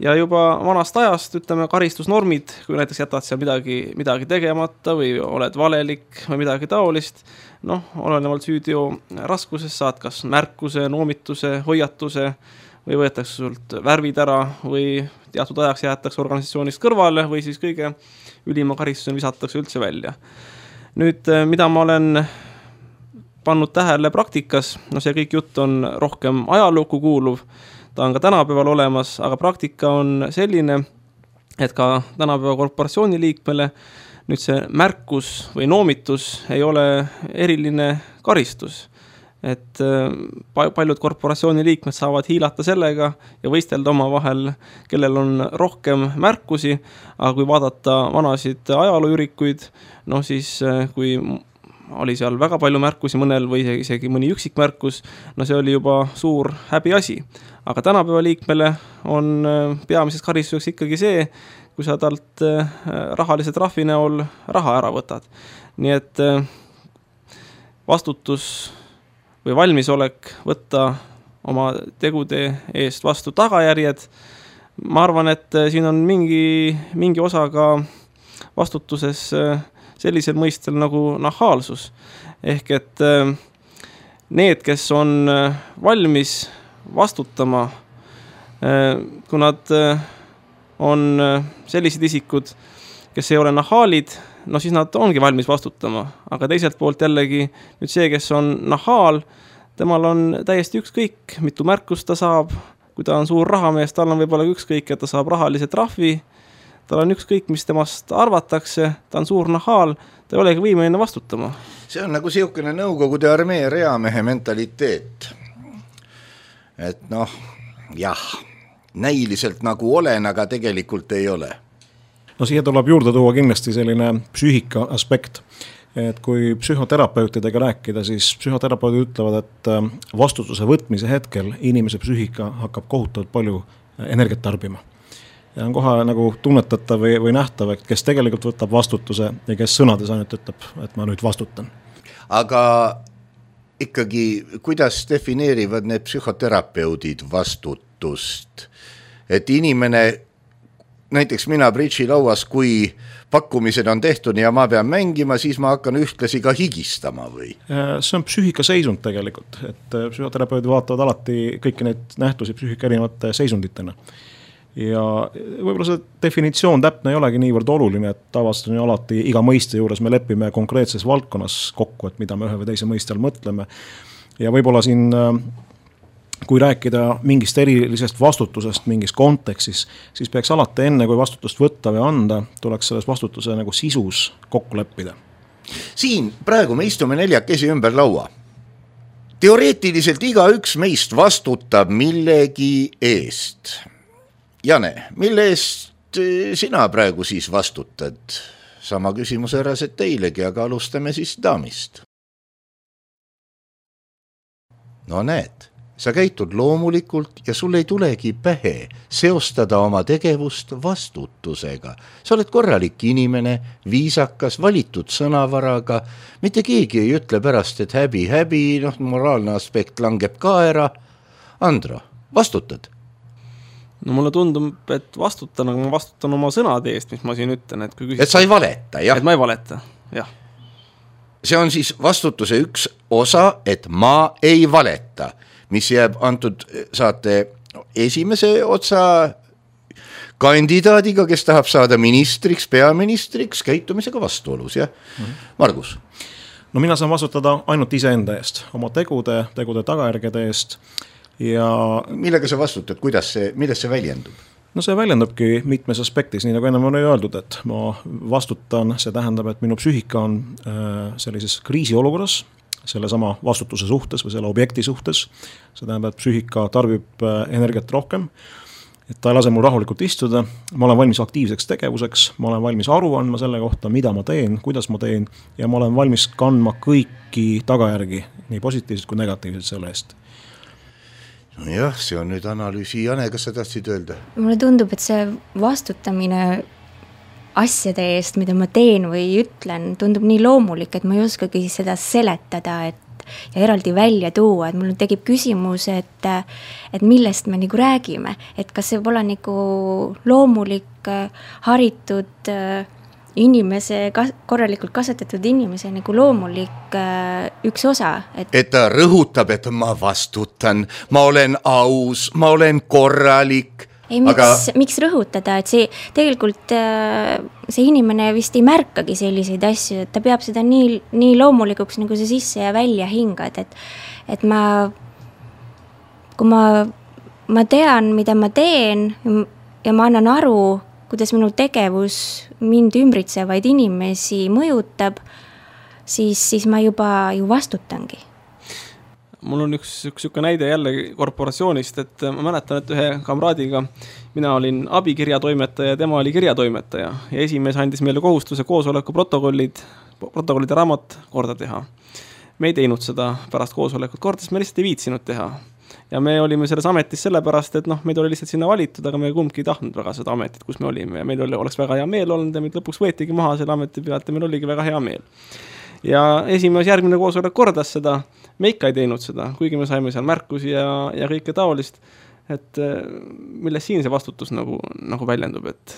Ja juba vanast ajast, ütleme, karistusnormid, kui näiteks jätad seal midagi tegemata või oled valelik või midagi taolist, olenevalt süüdio raskusest saad kas märkuse, noomituse, hoiatuse või võetakse sult värvid ära või teatud ajaks jäetakse organisatsioonist kõrvale või siis kõige ülima karistusena visatakse üldse välja. Nüüd, mida ma olen pannud tähele praktikas, see kõik jutt on rohkem ajalukku kuuluv, ta on ka tänapäeval olemas, aga praktika on selline, et ka tänapäeva korporatsiooni liikmele nüüd see märkus või noomitus ei ole eriline karistus. Et paljud korporatsiooni liikmed saavad hiilata sellega ja võistelda oma vahel, kellel on rohkem märkusi, aga kui vaadata vanasid ajalooürikuid, siis kui oli seal väga palju märkusi mõnel või isegi mõni üksik märkus, see oli juba suur häbiasi. Aga tänapäeva liikmele on peamiseks karistuseks ikkagi see, kui sa talt rahalise trahvi näol raha ära võtad. Nii et vastutus või valmisolek võtta oma tegude eest vastu tagajärjed. Ma arvan, et siin on mingi osa ka vastutuses sellisel mõistel nagu nahaalsus. Ehk et need, kes on valmis vastutama, kui nad on sellised isikud, kes ei ole nahaalid, siis nad ongi valmis vastutama. Aga teiselt poolt jällegi nüüd see, kes on nahaal, temal on täiesti ükskõik, mitu märkust ta saab. Kui ta on suur rahamees, tal on võib-olla ükskõik, et ta saab rahalise trahvi. Tal on ükskõik, mis temast arvatakse, ta on suur nahaal, ta ei olegi võimeline vastutama. See on nagu siukene nõukogude armee reamehe mentaliteet. Et näiliselt nagu olen, aga tegelikult ei ole. Siia tuleb juurde tuua kindlasti selline psüühika aspekt, et kui psühhoterapeutidega rääkida, siis psühhoterapeudid ütlevad, et vastutuse võtmise hetkel inimese psüühika hakkab kohutavalt palju energiat tarbima. Ja on kohe nagu tunnetatav või nähtav, et kes tegelikult võtab vastutuse ja kes sõnades ainult ütleb, et ma nüüd vastutan. Aga ikkagi, kuidas defineerivad need psühhoterapeudid vastutust? Et inimene, näiteks mina bridži lauas, kui pakkumised on tehtud ja ma pean mängima, siis ma hakkan ühtlasi ka higistama või? See on psüühika seisund tegelikult, et psühhoterapeudid vaatavad alati kõiki neid nähtusi psüühika erinevate seisunditena. Ja võib-olla see definitsioon täpne ei olegi niivõrd oluline, et tavaliselt on alati iga mõiste juures me lepime konkreetses valdkonnas kokku, et mida me ühe või teise mõiste all mõtleme. Ja võib-olla siin, kui rääkida mingist erilisest vastutusest mingis kontekstis, siis peaks alati enne, kui vastutust võtta või anda, tuleks selles vastutuse nagu sisus kokku leppida. Siin praegu me istume neljakesi ümber laua. Teoreetiliselt igaüks meist vastutab millegi eest. Jane, mille eest sina praegu siis vastutad? Sama küsimus äraselt teilegi, aga alustame siis daamist. No näed, sa käitud loomulikult ja sul ei tulegi pähe seostada oma tegevust vastutusega. Sa oled korralik inimene, viisakas, valitud sõnavaraga. Mitte keegi ei ütle pärast, et häbi, moraalne aspekt langeb ka ära. Andro, vastutad? No mulle tundub, et vastutan, aga ma vastutan oma sõnade eest, mis ma siin ütlen. Et sa ei valeta, jah? Et ma ei valeta, jah. See on siis vastutuse üks osa, et ma ei valeta, mis jääb antud saate esimese otsa kandidaadiga, kes tahab saada ministriks, peaministriks, käitumisega vastuolus, jah? Margus? No mina saan vastutada ainult iseenda eest, oma tegude tagajärgede eest. Ja millega sa vastutad, milles see väljendub? No see väljendubki mitmes aspektis, nii nagu enne on öeldud, et ma vastutan, see tähendab, et minu psüühika on sellises kriisiolukorras, selle sama vastutuse suhtes või selle objekti suhtes. See tähendab, et psüühika tarbib energiat rohkem et ta ei lase mul rahulikult istuda, ma olen valmis aktiivseks tegevuseks, ma olen valmis aru andma selle kohta, mida ma teen, kuidas ma teen ja ma olen valmis kandma kõiki tagajärgi, nii positiivsed kui negatiivsed selle eest. Nojah, see on nüüd analüüsi. Jane, kas sa tahtsid öelda? Mulle tundub, et see vastutamine asjade eest, mida ma teen või ütlen, tundub nii loomulik, et ma ei oskagi seda seletada, ja eraldi välja tuua, et mul tekib küsimus, et millest me nagu räägime, et kas see võib olla nagu loomulik, haritud inimese, korralikult kasvatatud inimese nagu loomulik üks osa. Et ta rõhutab, et ma vastutan, ma olen aus, ma olen korralik. Ei, miks rõhutada, et see tegelikult see inimene vist ei märkagi selliseid asju, et ta peab seda nii loomulikuks nagu see sisse ja välja hingad, et kui ma tean, mida ma teen ja ma annan aru, kuidas minu tegevus mind ümbritsevaid inimesi mõjutab, siis ma juba ju vastutangi. Mul on üks näide jälle korporatsioonist, et ma mäletan, et ühe kamraadiga mina olin abikirjatoimetaja ja tema oli kirjatoimetaja ja esimees andis meile kohustuse koosoleku protokollide raamat korda teha. Me ei teinud seda pärast koosolekut korda, sest me lihtsalt ei viitsinud teha. Ja me olime selles ametis sellepärast, et meid oli lihtsalt sinna valitud, aga me kumbki ei tahtnud väga seda ametit, kus me olime ja meil oleks väga hea meel olnud ja meid lõpuks võetigi maha selle ameti pealt ja meil oligi väga hea meel. Ja esimees järgmine koosolek kordas seda, me ikka ei teinud seda, kuigi me saime seal märkusi ja kõike taolist, et milles siin see vastutus nagu väljendub, et...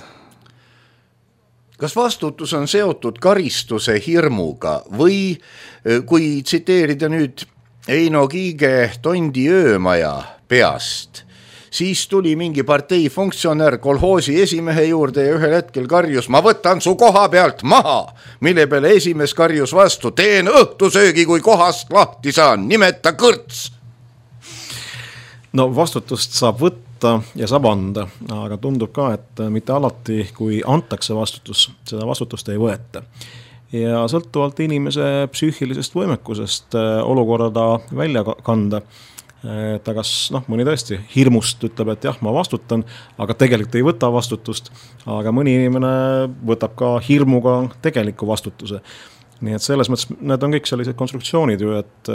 Kas vastutus on seotud karistuse hirmuga või kui tsiteerida nüüd Eino Kiige Tondi öömaja peast, siis tuli mingi partei funktsionär kolhoosi esimehe juurde ja ühel hetkel karjus, ma võtan su koha pealt maha, mille peale esimees karjus vastu, teen õhtusöögi, kui kohast lahti saan, nimeta kõrts. No vastutust saab võtta ja saab anda, aga tundub ka, et mitte alati, kui antakse vastutus, seda vastutust ei võeta. Ja sõltuvalt inimese psüühilisest võimekusest olukorda välja kanda, ta kas mõni tõesti hirmust ütleb, et jah, ma vastutan, aga tegelikult ei võta vastutust, aga mõni inimene võtab ka hirmuga tegeliku vastutuse. Nii et selles mõttes need on kõik sellised konstruktsioonid ju, et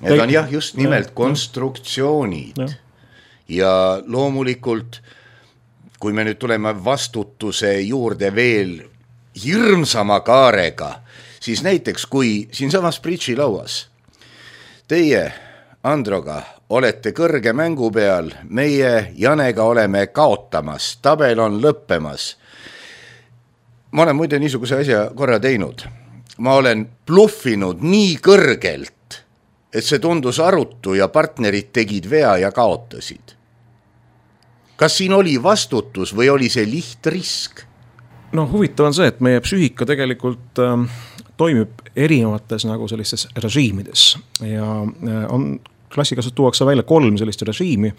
need on jah, just nimelt konstruktsioonid. Ja loomulikult, kui me nüüd tuleme vastutuse juurde veel hirmsama kaarega, siis näiteks kui siinsamas Bridži lauas teie Androga olete kõrge mängu peal, meie Janega oleme kaotamas, tabel on lõppemas. Ma olen muide niisuguse asja korra teinud. Ma olen bluffinud nii kõrgelt, et see tundus arutu ja partnerid tegid vea ja kaotasid. Kas siin oli vastutus või oli see lihtrisk? No huvitav on see, et meie psüühika tegelikult toimib erinevates nagu sellistes režiimides ja on klassikaliselt tuuakse välja 3 sellist režiimi.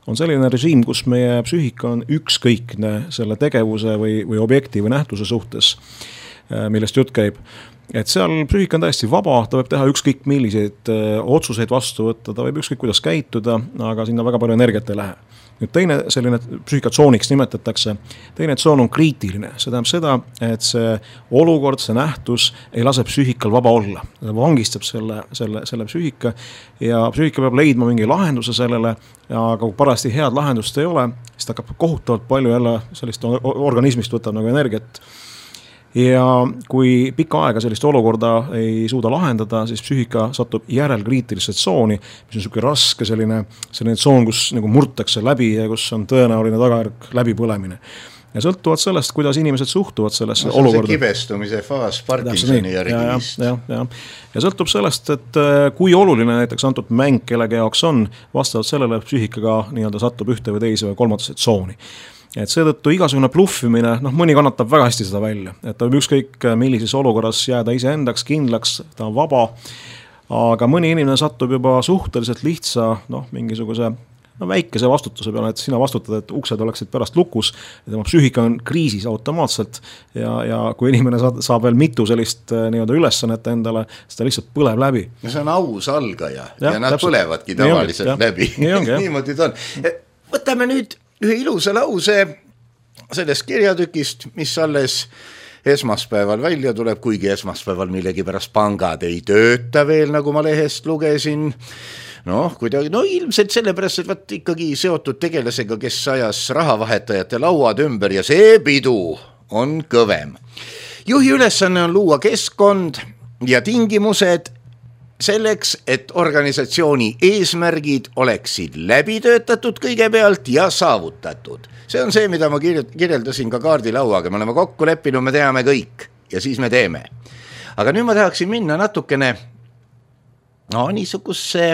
On selline režiim, kus meie psüühika on ükskõikne selle tegevuse või objekti või nähtuse suhtes, millest jutt käib. Et seal psüühika on täiesti vaba, ta võib teha ükskõik milliseid otsuseid vastu võtta, ta võib ükskõik kuidas käituda, aga sinna väga palju energiat ei lähe. Nüüd teine selline psüühikatsooniks nimetatakse, teine tsoon on kriitiline, see tähendab seda, et see olukord, see nähtus ei lase psüühikal vaba olla, ta vangistab selle psüühika ja psüühika peab leidma mingi lahenduse sellele, aga kui parasti head lahendust ei ole, siis ta hakkab kohutavalt palju jälle sellist organismist võtab nagu energiat. Ja kui pikka aega sellist olukorda ei suuda lahendada, siis psüühika satub järelkriitilisse tsooni, mis on niisugune raske selline tsoon, kus nagu murtakse läbi ja kus on tõenäoline tagajärg läbipõlemine. Ja sõltuvalt sellest, kuidas inimesed suhtuvad sellesse olukorda. See kibestumise faas Parkinsoni järgimist. Ja sõltub sellest, et kui oluline näiteks antud mäng kellegi jaoks on, vastavalt sellele psüühikaga nii-öelda satub ühte või teise või kolmandasse tsooni. Et seetõttu igasugune bluffimine, mõni kannatab väga hästi seda välja, et ta võib ükskõik millises olukorras jääda iseendaks kindlaks, ta on vaba, aga mõni inimene satub juba suhteliselt lihtsa, mingisuguse väikese vastutuse peale, et sina vastutad, et uksed oleksid pärast lukus, ja tema psüühika on kriisis automaatselt ja kui inimene saab veel mitu sellist nii-öelda ülesannet endale, siis ta lihtsalt põleb läbi. Ja see on aus algaja ja nad põlevadki tavaliselt läbi. Niimoodi ta on. Võtame nüüd ühe ilusa lause sellest kirjatükist, mis alles esmaspäeval välja tuleb, kuigi esmaspäeval millegipärast pangad ei tööta veel, nagu ma lehest lugesin. Kuidagi, ilmselt sellepärast, et vaat ikkagi seotud tegelasega, kes ajas rahavahetajate lauad ümber ja see pidu on kõvem. Juhi ülesanne on luua keskkond ja tingimused selleks, et organisatsiooni eesmärgid oleksid läbitöötatud kõigepealt ja saavutatud. See on see, mida ma kirjeldasin ka kaardilauaga, me oleme kokku leppinud, me teame kõik ja siis me teeme. Aga nüüd ma tahaksin minna natukene niisuguse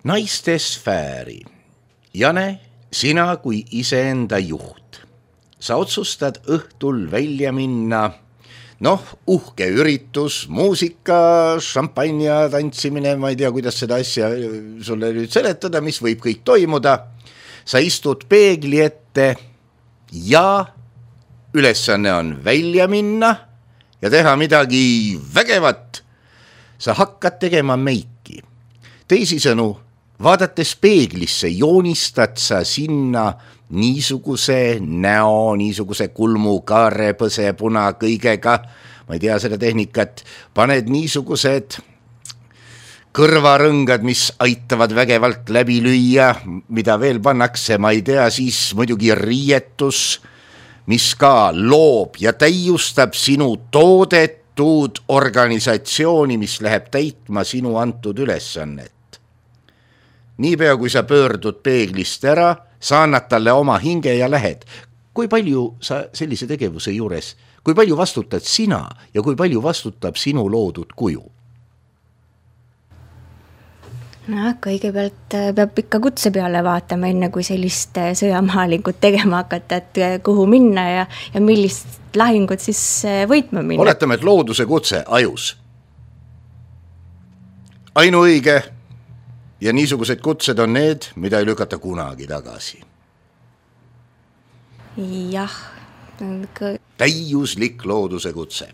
naiste sfääri. Jane, sina kui iseenda juht. Sa otsustad õhtul välja minna, uhke üritus, muusika, šampanja, tantsimine, ma ei tea, kuidas seda asja sulle nüüd seletada, mis võib kõik toimuda. Sa istud peegli ette ja ülesanne on välja minna ja teha midagi vägevat. Sa hakkad tegema meiki. Teisisõnu, vaadates peeglisse, joonistad sa sinna niisuguse näo, niisuguse kulmu, kaare, põse, puna, kõigega, ma ei tea seda tehnikat, paned niisugused kõrvarõngad, mis aitavad vägevalt läbi lüüa, mida veel pannakse, ma ei tea, siis muidugi riietus, mis ka loob ja täiustab sinu toodetud organisatsiooni, mis läheb täitma sinu antud ülesannet. Niipea, kui sa pöördud peeglist ära, sa annad talle oma hinge ja lähed. Kui palju sa sellise tegevuse juures, kui palju vastutad sina ja kui palju vastutab sinu loodud kuju? Kõigepealt peab ikka kutse peale vaatama, enne kui sellist sõjamaalingut tegema hakata, et kuhu minna ja millist lahingut siis võitma minna. Oletame, et looduse kutse ajus. Ainuõige ja niisugused kutsed on need, mida ei lükata kunagi tagasi. Jah. Täiuslik looduse kutse.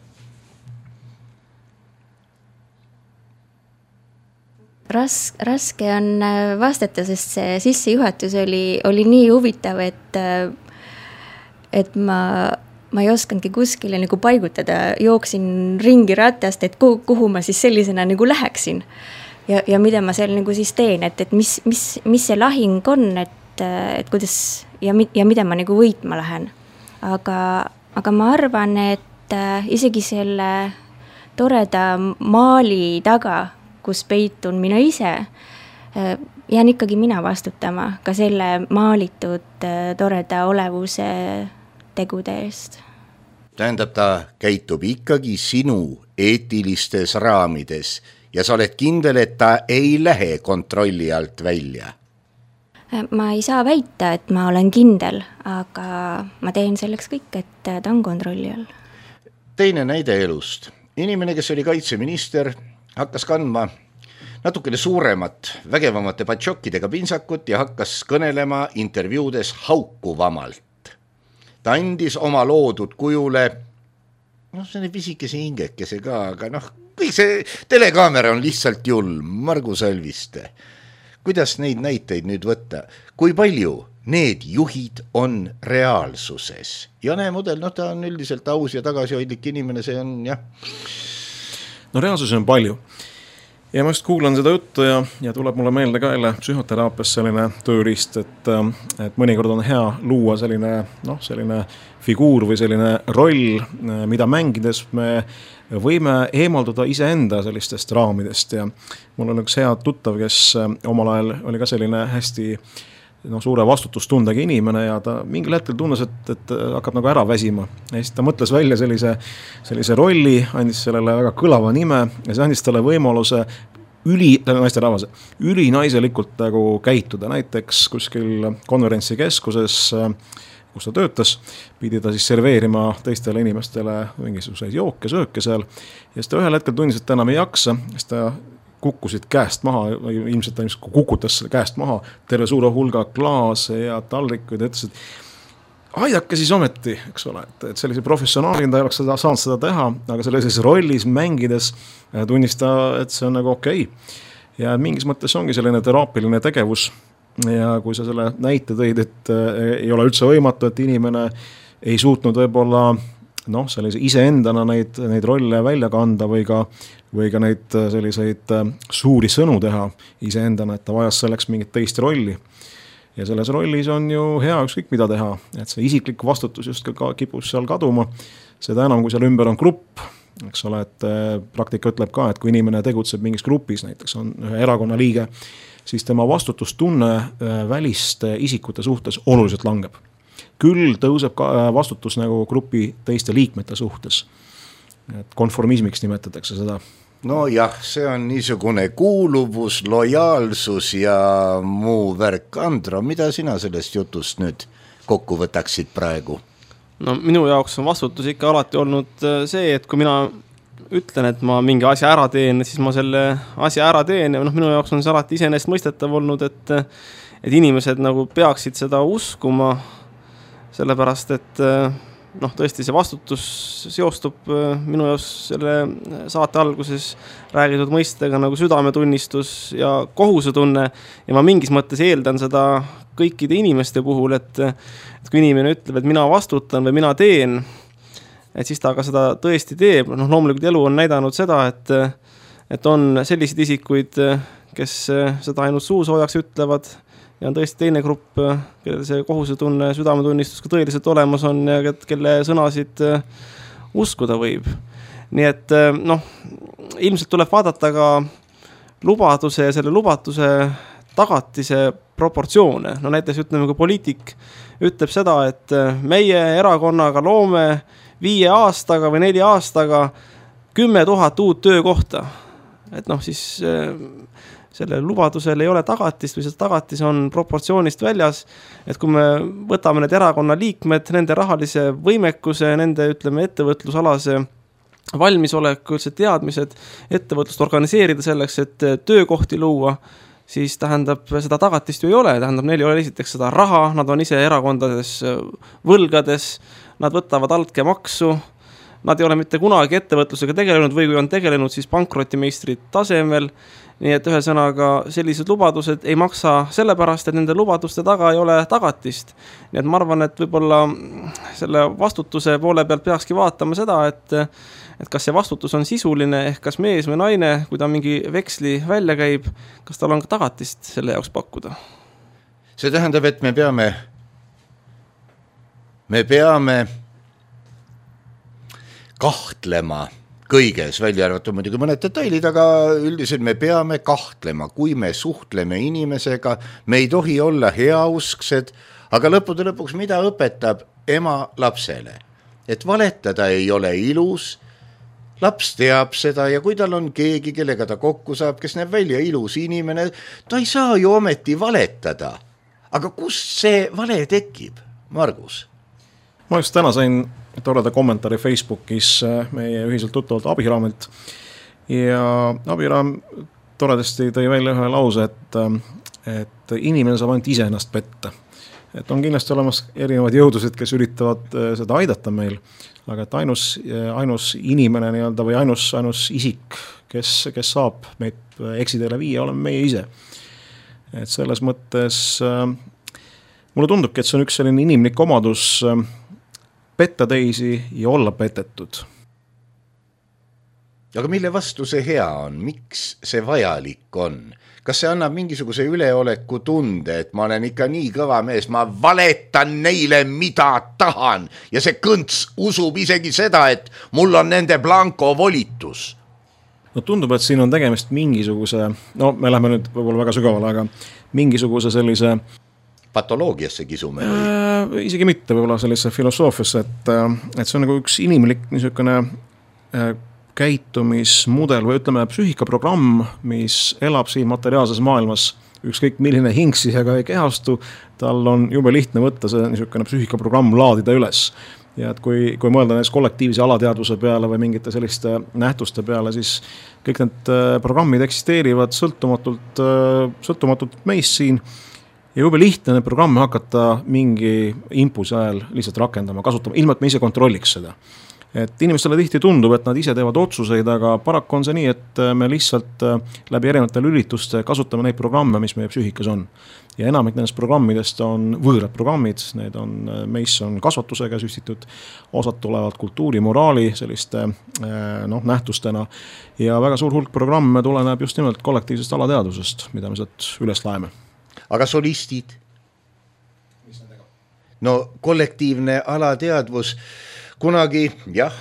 Raske on vastata, sest see sissejuhatus oli nii huvitav, et ma ei oskandki kuskile nagu paigutada, jooksin ringi ratast, et kuhu ma siis sellisena nagu läheksin ja mida ma seal nagu siis teen, et mis see lahing on, et kuidas ja mida ma nagu võitma lähen. Aga ma arvan, et isegi selle toreda maali taga, kus peitun mina ise, jään ikkagi mina vastutama ka selle maalitud toreda olevuse tegude eest. Tähendab, ta käitub ikkagi sinu eetilistes raamides ja sa oled kindel, et ta ei lähe kontrolli alt välja. Ma ei saa väita, et ma olen kindel, aga ma teen selleks kõik, et ta on kontrolli all. Teine näide elust. Inimene, kes oli kaitseminister, hakkas kandma natukene suuremat, vägevamate patšokkidega pinsakut ja hakkas kõnelema intervjuudes haukuvamalt. Ta andis oma loodud kujule, see on pisikese hingekese ka, aga kõik see telekaamera on lihtsalt julm, Margus Alviste. Kuidas neid näiteid nüüd võtta? Kui palju need juhid on reaalsuses? Jane Mudel, ta on üldiselt aus ja tagasihoidlik inimene, see on jah. Reaalsuses on palju. Ja ma just kuulan seda juttu ja tuleb mulle meelde ka jälle psühhoteraapias selline tööriist, et mõnikord on hea luua selline figuur või selline roll, mida mängides me võime eemalduda iseenda sellistest raamidest ja mul on üks hea tuttav, kes omal ajal oli ka selline hästi suure vastutustundega inimene ja ta mingil hetkel tunnes, et hakkab nagu ära väsima. Ja siis ta mõtles välja sellise rolli, andis sellele väga kõlava nime ja see andis talle võimaluse ülinaiselikult nagu käituda. Näiteks kuskil konverentsikeskuses, kus ta töötas, pidi ta siis serveerima teistele inimestele mingisuguseid jooke, sööke seal. Ja siis ta ühel hetkel tundis, et ta enam ei jaksa, siis ta kukkusid käest maha, ilmselt ta kukutas käest maha terve suure hulga klaase ja taldrikuid ja ütles, et aidake siis ometi, eks ole, et sellise professionaalina ta ei oleks saanud seda teha, aga sellises rollis mängides tunnis ta, et see on nagu okei. Ja mingis mõttes ongi selline teraapiline tegevus ja kui sa selle näite tõid, et ei ole üldse võimatu, et inimene ei suutnud võib-olla sellise iseendana neid rolle välja kanda või ka neid selliseid suuri sõnu teha iseendana, et ta vajas selleks mingit teist rolli. Ja selles rollis on ju hea ükskõik mida teha, et see isiklik vastutus just kipub seal kaduma, seda enam, kui seal ümber on grupp, eks ole, et praktika ütleb ka, et kui inimene tegutseb mingis grupis, näiteks on ühe erakonna liige, siis tema vastutustunne väliste isikute suhtes oluliselt langeb. Küll tõuseb ka vastutus nagu grupi teiste liikmete suhtes. Et konformismiks nimetatakse seda. No jah, see on niisugune kuuluvus, lojaalsus ja muu värk. Andro, mida sina sellest jutust nüüd kokku võtaksid praegu? No minu jaoks on vastutus ikka alati olnud see, et kui mina ütlen, et ma mingi asja ära teen, siis ma selle asja ära teen ja minu jaoks on see alati iseenesest mõistetav olnud, et inimesed nagu peaksid seda uskuma, sellepärast, et tõesti see vastutus seostub minu jaoks selle saate alguses räägitud mõistega nagu südametunnistus ja kohusetunne ja ma mingis mõttes eeldan seda kõikide inimeste puhul, et kui inimene ütleb, et mina vastutan või mina teen, et siis ta ka seda tõesti teeb. Loomulikult elu on näidanud seda, et on selliseid isikuid, kes seda ainult suusoojaks ütlevad ja on tõesti teine grupp, kellel see kohusetunne, südametunnistus ka tõeliselt olemas on ja kelle sõnasid uskuda võib. Nii et ilmselt tuleb vaadata ka lubaduse ja selle lubatuse tagatise proportsioone. Näiteks ütleme, kui poliitik ütleb seda, et meie erakonnaga loome 5 aastaga või 4 aastaga 10 000 uut töökohta. Et siis selle lubadusel ei ole tagatist või see tagatis on proportsioonist väljas, et kui me võtame need erakonna liikmed, nende rahalise võimekuse, nende ettevõtlusalase valmisoleku, üldse teadmised, ettevõtlust organiseerida selleks, et töökohti luua, siis tähendab, seda tagatist ju ei ole, tähendab, neil ei ole esiteks seda raha, nad on ise erakondades võlgades, nad võtavad altkäemaksu, nad ei ole mitte kunagi ettevõtlusega tegelenud või kui on tegelenud, siis pankrotimeistrid tasemel. Nii et ühesõnaga sellised lubadused ei maksa sellepärast, et nende lubaduste taga ei ole tagatist. Nii et ma arvan, et võib-olla selle vastutuse poole pealt peakski vaatama seda, et kas see vastutus on sisuline, ehk kas mees või naine, kui ta mingi veksli välja käib, kas tal on ka tagatist selle jaoks pakkuda? See tähendab, et me peame kahtlema kõiges, välja arvatud muidugi mõned detailid, aga üldiselt me peame kahtlema, kui me suhtleme inimesega, me ei tohi olla heausksed, aga lõppude lõpuks mida õpetab ema lapsele? Et valetada ei ole ilus, laps teab seda ja kui tal on keegi, kellega ta kokku saab, kes näeb välja ilus inimene, ta ei saa ju ometi valetada. Aga kust see vale tekib, Margus? Ma just täna sain toreda kommentaari Facebookis meie ühiselt tuttavalt Abiraamilt ja Abiraam toredasti tõi välja ühe lause, et inimene saab ainult ise ennast petta. Et on kindlasti olemas erinevad jõudused, kes üritavad seda aidata meil, aga et ainus inimene nii-öelda või ainus isik, kes saab meid eksiteele viia, oleme meie ise. Et selles mõttes mulle tundubki, et see on üks selline inimlik omadus petta teisi ja olla petetud. Aga mille vastu see hea on? Miks see vajalik on? Kas see annab mingisuguse üleoleku tunde, et ma olen ikka nii kõva mees, ma valetan neile, mida tahan ja see kõnts usub isegi seda, et mul on nende blanko volitus? No tundub, et siin on tegemist mingisuguse, me läheme nüüd võib-olla väga sügavale, aga mingisuguse sellise patoloogiasse kisume või? Isegi mitte võib-olla sellise filosoofiasse, et see on nagu üks inimlik niisugune käitumismudel või ütleme psüühikaprogramm, mis elab siin materiaalses maailmas, ükskõik milline hing siia ei kehastu, tal on jube lihtne võtta see niisugune psüühikaprogramm laadida üles. Ja et kui mõelda näiteks kollektiivse alateadvuse peale või mingite selliste nähtuste peale, siis kõik need programmid eksisteerivad sõltumatult meist siin. Ja jube lihtne need programme hakata mingi impulsi ajal lihtsalt rakendama, kasutama, ilma et me ise kontrolliks seda. et inimestele tihti tundub, et nad ise teevad otsuseid, aga paraku on see nii, et me lihtsalt läbi erinevatel ürituste kasutame neid programme, mis meie psüühikas on. Ja enamik nendest programmidest on võõrad programmid, need on, meis on kasvatusega süstitud, osad tulevad kultuuri, moraali selliste nähtustena ja väga suur hulk programme tuleneb just nimelt kollektiivsest alateadvusest, mida me sealt üles laeme. Aga solistid? No kollektiivne alateadvus kunagi, jah,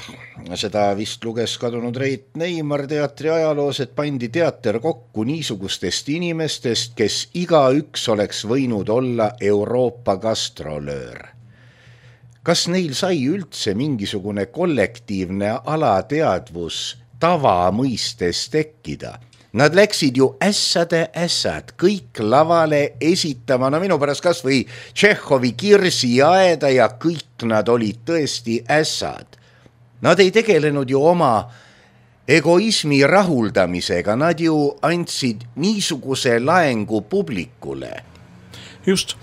seda vist luges kadunud Reit Neimar teatri ajaloos, et pandi teater kokku niisugustest inimestest, kes igaüks oleks võinud olla Euroopa gastrolöör. Kas neil sai üldse mingisugune kollektiivne alateadvus tavamõistes tekkida? Nad läksid ju ässad, kõik lavale esitama, no minu pärast kas või Tšehhovi Kirsiaeda ja kõik nad olid tõesti ässad. Nad ei tegelenud ju oma egoismi rahuldamisega, nad ju andsid niisuguse laengu publikule. Just,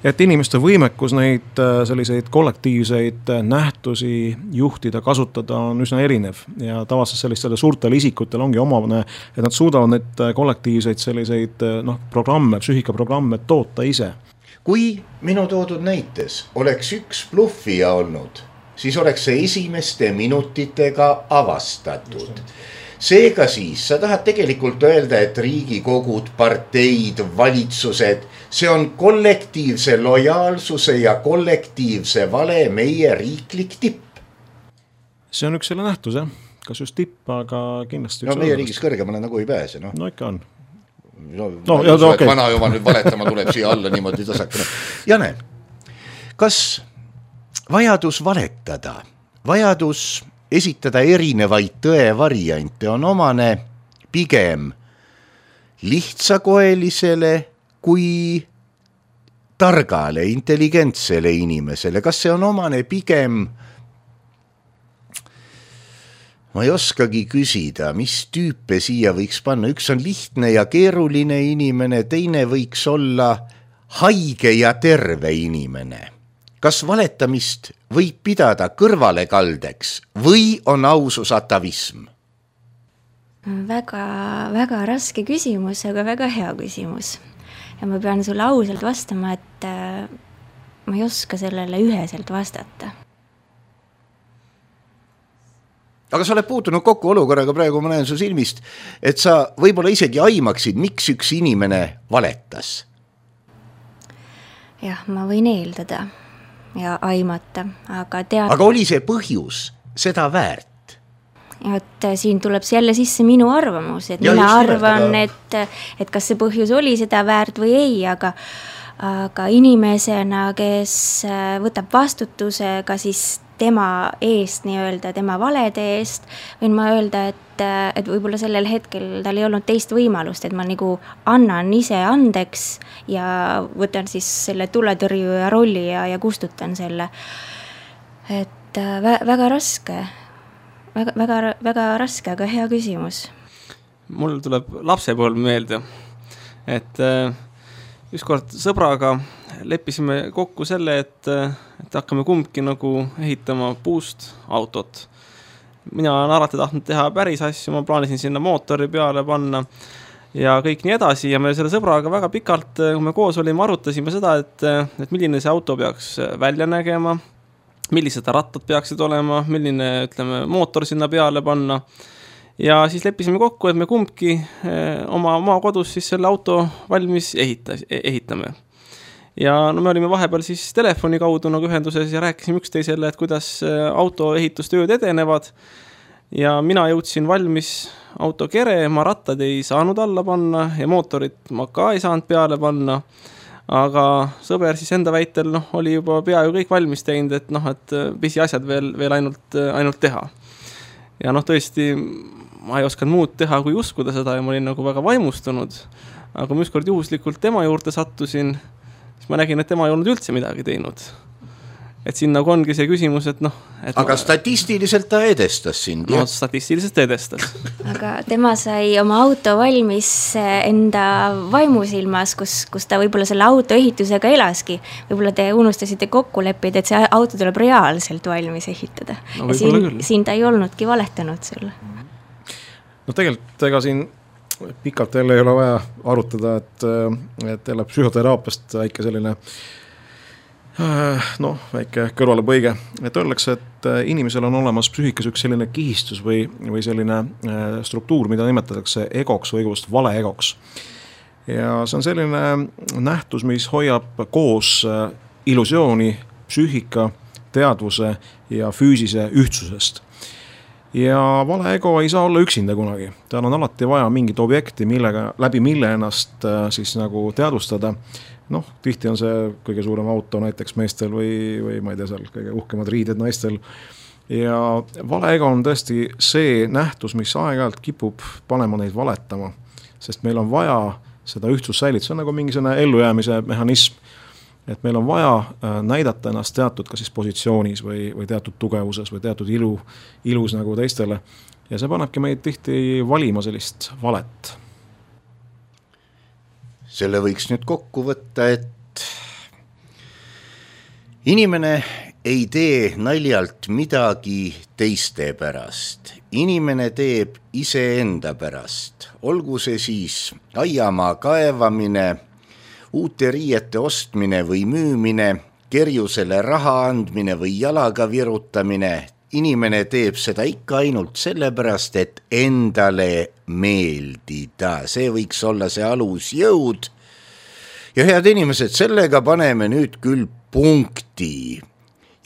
et inimeste võimekus neid selliseid kollektiivseid nähtusi juhtida, kasutada on üsna erinev ja tavaliselt sellistele suurtele isikutel ongi omavane, et nad suudavad neid kollektiivseid selliseid programme, psüühikaprogramme toota ise. Kui minu toodud näites oleks üks bluffija olnud, siis oleks see esimeste minutitega avastatud. Seega siis, sa tahad tegelikult öelda, et riigikogud, parteid, valitsused, see on kollektiivse lojaalsuse ja kollektiivse vale meie riiklik tipp. See on üks selle nähtus, jah. Kas just tipp, aga kindlasti no meie riigis kõrgemale nagu ei pääse. No ikka on. Okay. Vana juba nüüd valetama tuleb siia alla niimoodi tasakene. Jane, kas vajadus valetada, vajadus esitada erinevaid tõevariante on omane pigem lihtsakoelisele kui targale, intelligentsele inimesele? Kas see on omane pigem, ma ei oskagi küsida, mis tüüpe siia võiks panna? Üks on lihtne ja keeruline inimene, teine võiks olla haige ja terve inimene. Kas valetamist võib pidada kõrvalekaldeks või on ausus atavism? Väga, väga raske küsimus, aga väga hea küsimus. Ja ma pean sulle ausalt vastama, et ma ei oska sellele üheselt vastata. Aga sa oled puutunud kokku olukorraga, praegu ma näen su silmist, et sa võib-olla isegi aimaksid, miks üks inimene valetas. Jah, ma võin eeldada ja aimata, aga oli see põhjus seda väärt? Et siin tuleb jälle sisse minu arvamus, et mina arvan, et kas see põhjus oli seda väärt või ei, aga inimesena, kes võtab vastutuse ka siis tema eest, nii-öelda tema valede eest, võin ma öelda, et võib-olla sellel hetkel tal ei olnud teist võimalust, et ma nagu annan ise andeks ja võtan siis selle tuletõrjuja rolli ja kustutan selle. Et väga raske, väga raske, aga hea küsimus. Mul tuleb lapsepõlv meelde, et ükskord sõbraga leppisime kokku selle, et hakkame kumbki nagu ehitama puust autot. Mina olen alati tahtnud teha päris asju, ma plaanisin sinna mootori peale panna ja kõik nii edasi ja me selle sõbraga väga pikalt, kui me koos olime, arutasime seda, et milline see auto peaks välja nägema, millised rattad peaksid olema, milline, ütleme, mootor sinna peale panna. Ja siis leppisime kokku, et me kumbki oma kodus siis selle auto valmis ehitame. Ja no me olime vahepeal siis telefoni kaudu nagu ühenduses ja rääkisime üksteisele, et kuidas autoehitustööd edenevad. Ja mina jõudsin valmis auto kere, ma rattad ei saanud alla panna ja mootorit ma ka ei saanud peale panna. Aga sõber siis enda väitel oli juba peaaegu kõik valmis teinud, et pisi asjad veel ainult teha. Ja tõesti, ma ei osanud muud teha, kui uskuda seda ja ma olin nagu väga vaimustunud. Aga ma ükskord juhuslikult tema juurde sattusin, siis ma nägin, et tema ei olnud üldse midagi teinud. et siin nagu ongi see küsimus, et noh. Aga statistiliselt ta edestas sind, jah? No statistiliselt edestas. Aga tema sai oma auto valmis enda vaimusilmas, kus ta võib-olla selle auto ehitusega elaski. Võib-olla te unustasite kokku leppida, et see auto tuleb reaalselt valmis ehitada. No, ja siin ta ei olnudki valetanud sulle. No tegelikult ega siin pikalt jälle ei ole vaja arutada, et jälle psühhoteraapiast väike selline väike kõrvalepõige, et öeldakse, et inimesel on olemas psüühikas üks selline kihistus või selline struktuur, mida nimetatakse egoks või õigust vale egoks. Ja see on selline nähtus, mis hoiab koos illusiooni psüühika, teadvuse ja füüsise ühtsusest. Ja vale ego ei saa olla üksinda kunagi. Tal on alati vaja mingit objekti, läbi mille ennast siis nagu teadvustada. Tihti on see kõige suurem auto näiteks meestel või ma ei tea seal kõige uhkemad riided naistel. Ja vale ego on tõesti see nähtus, mis aeg-ajalt kipub panema neid valetama, sest meil on vaja seda ühtsust säilitada. See on nagu mingi ellujäämise mehhanism, et meil on vaja näidata ennast teatud ka siis positsioonis või teatud tugevuses või teatud ilus nagu teistele. Ja see panebki meid tihti valima sellist valet. Selle võiks nüüd kokku võtta, et inimene ei tee naljalt midagi teiste pärast. Inimene teeb iseenda pärast. Olgu see siis aiamaa kaevamine, uute riiete ostmine või müümine, kerjusele raha andmine või jalaga virutamine. Inimene teeb seda ikka ainult sellepärast, et endale meeldida. See võiks olla see alusjõud. Ja head inimesed, sellega paneme nüüd küll punkti.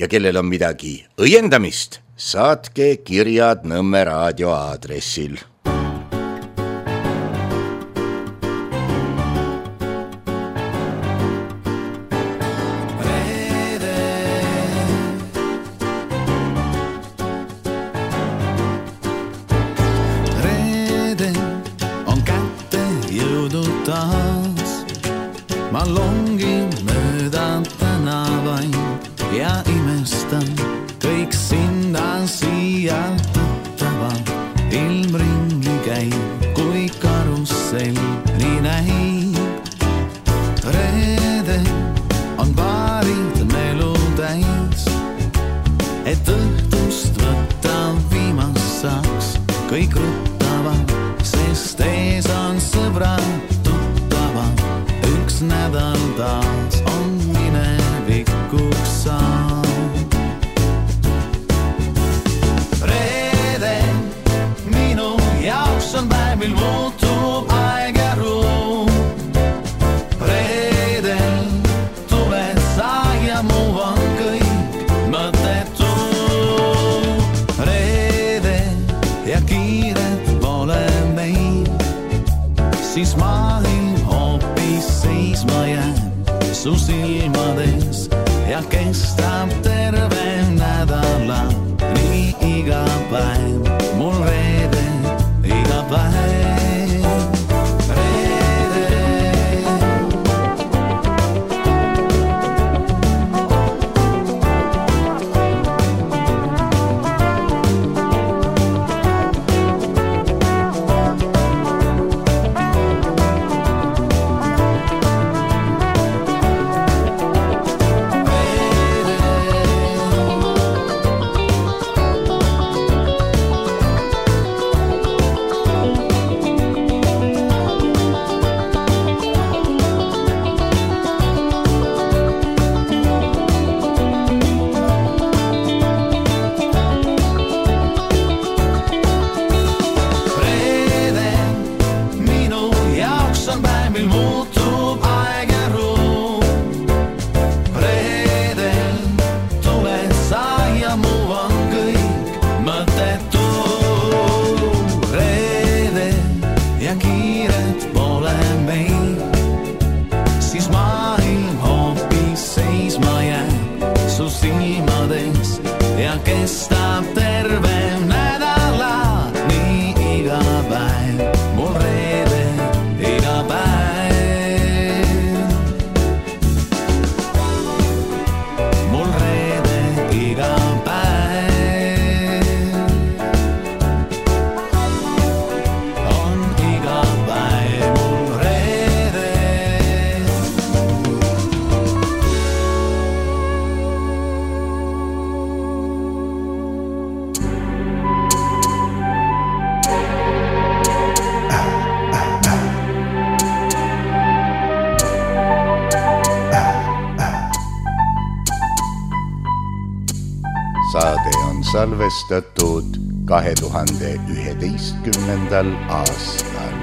Ja kellel on midagi õiendamist, saatke kirjad Nõmme raadio aadressil. Ma longin mööda tänavain ja imestan kõik sinna siia tuttava. Ilm ringi käib, kui karussell nii näib. Reede on paarid melu täis, et õhtust võtta viimast saaks. Kõik ruttavad, sest ees on sõbrad tuttavad. Üks nädal taas on minevikuks saanud. Reede minu jaoks on päev, mil muutub aeg ja ruum. Reedel tuled sa ja muu on kõik mõttetu. Reede ja kiiret pole meil, siis maailm hoopis seisma jääb su silmades ja kestab terve nädala. Nii iga päev, mul reede, iga päev. Mul reede Saade on salvestatud 2011. aastal.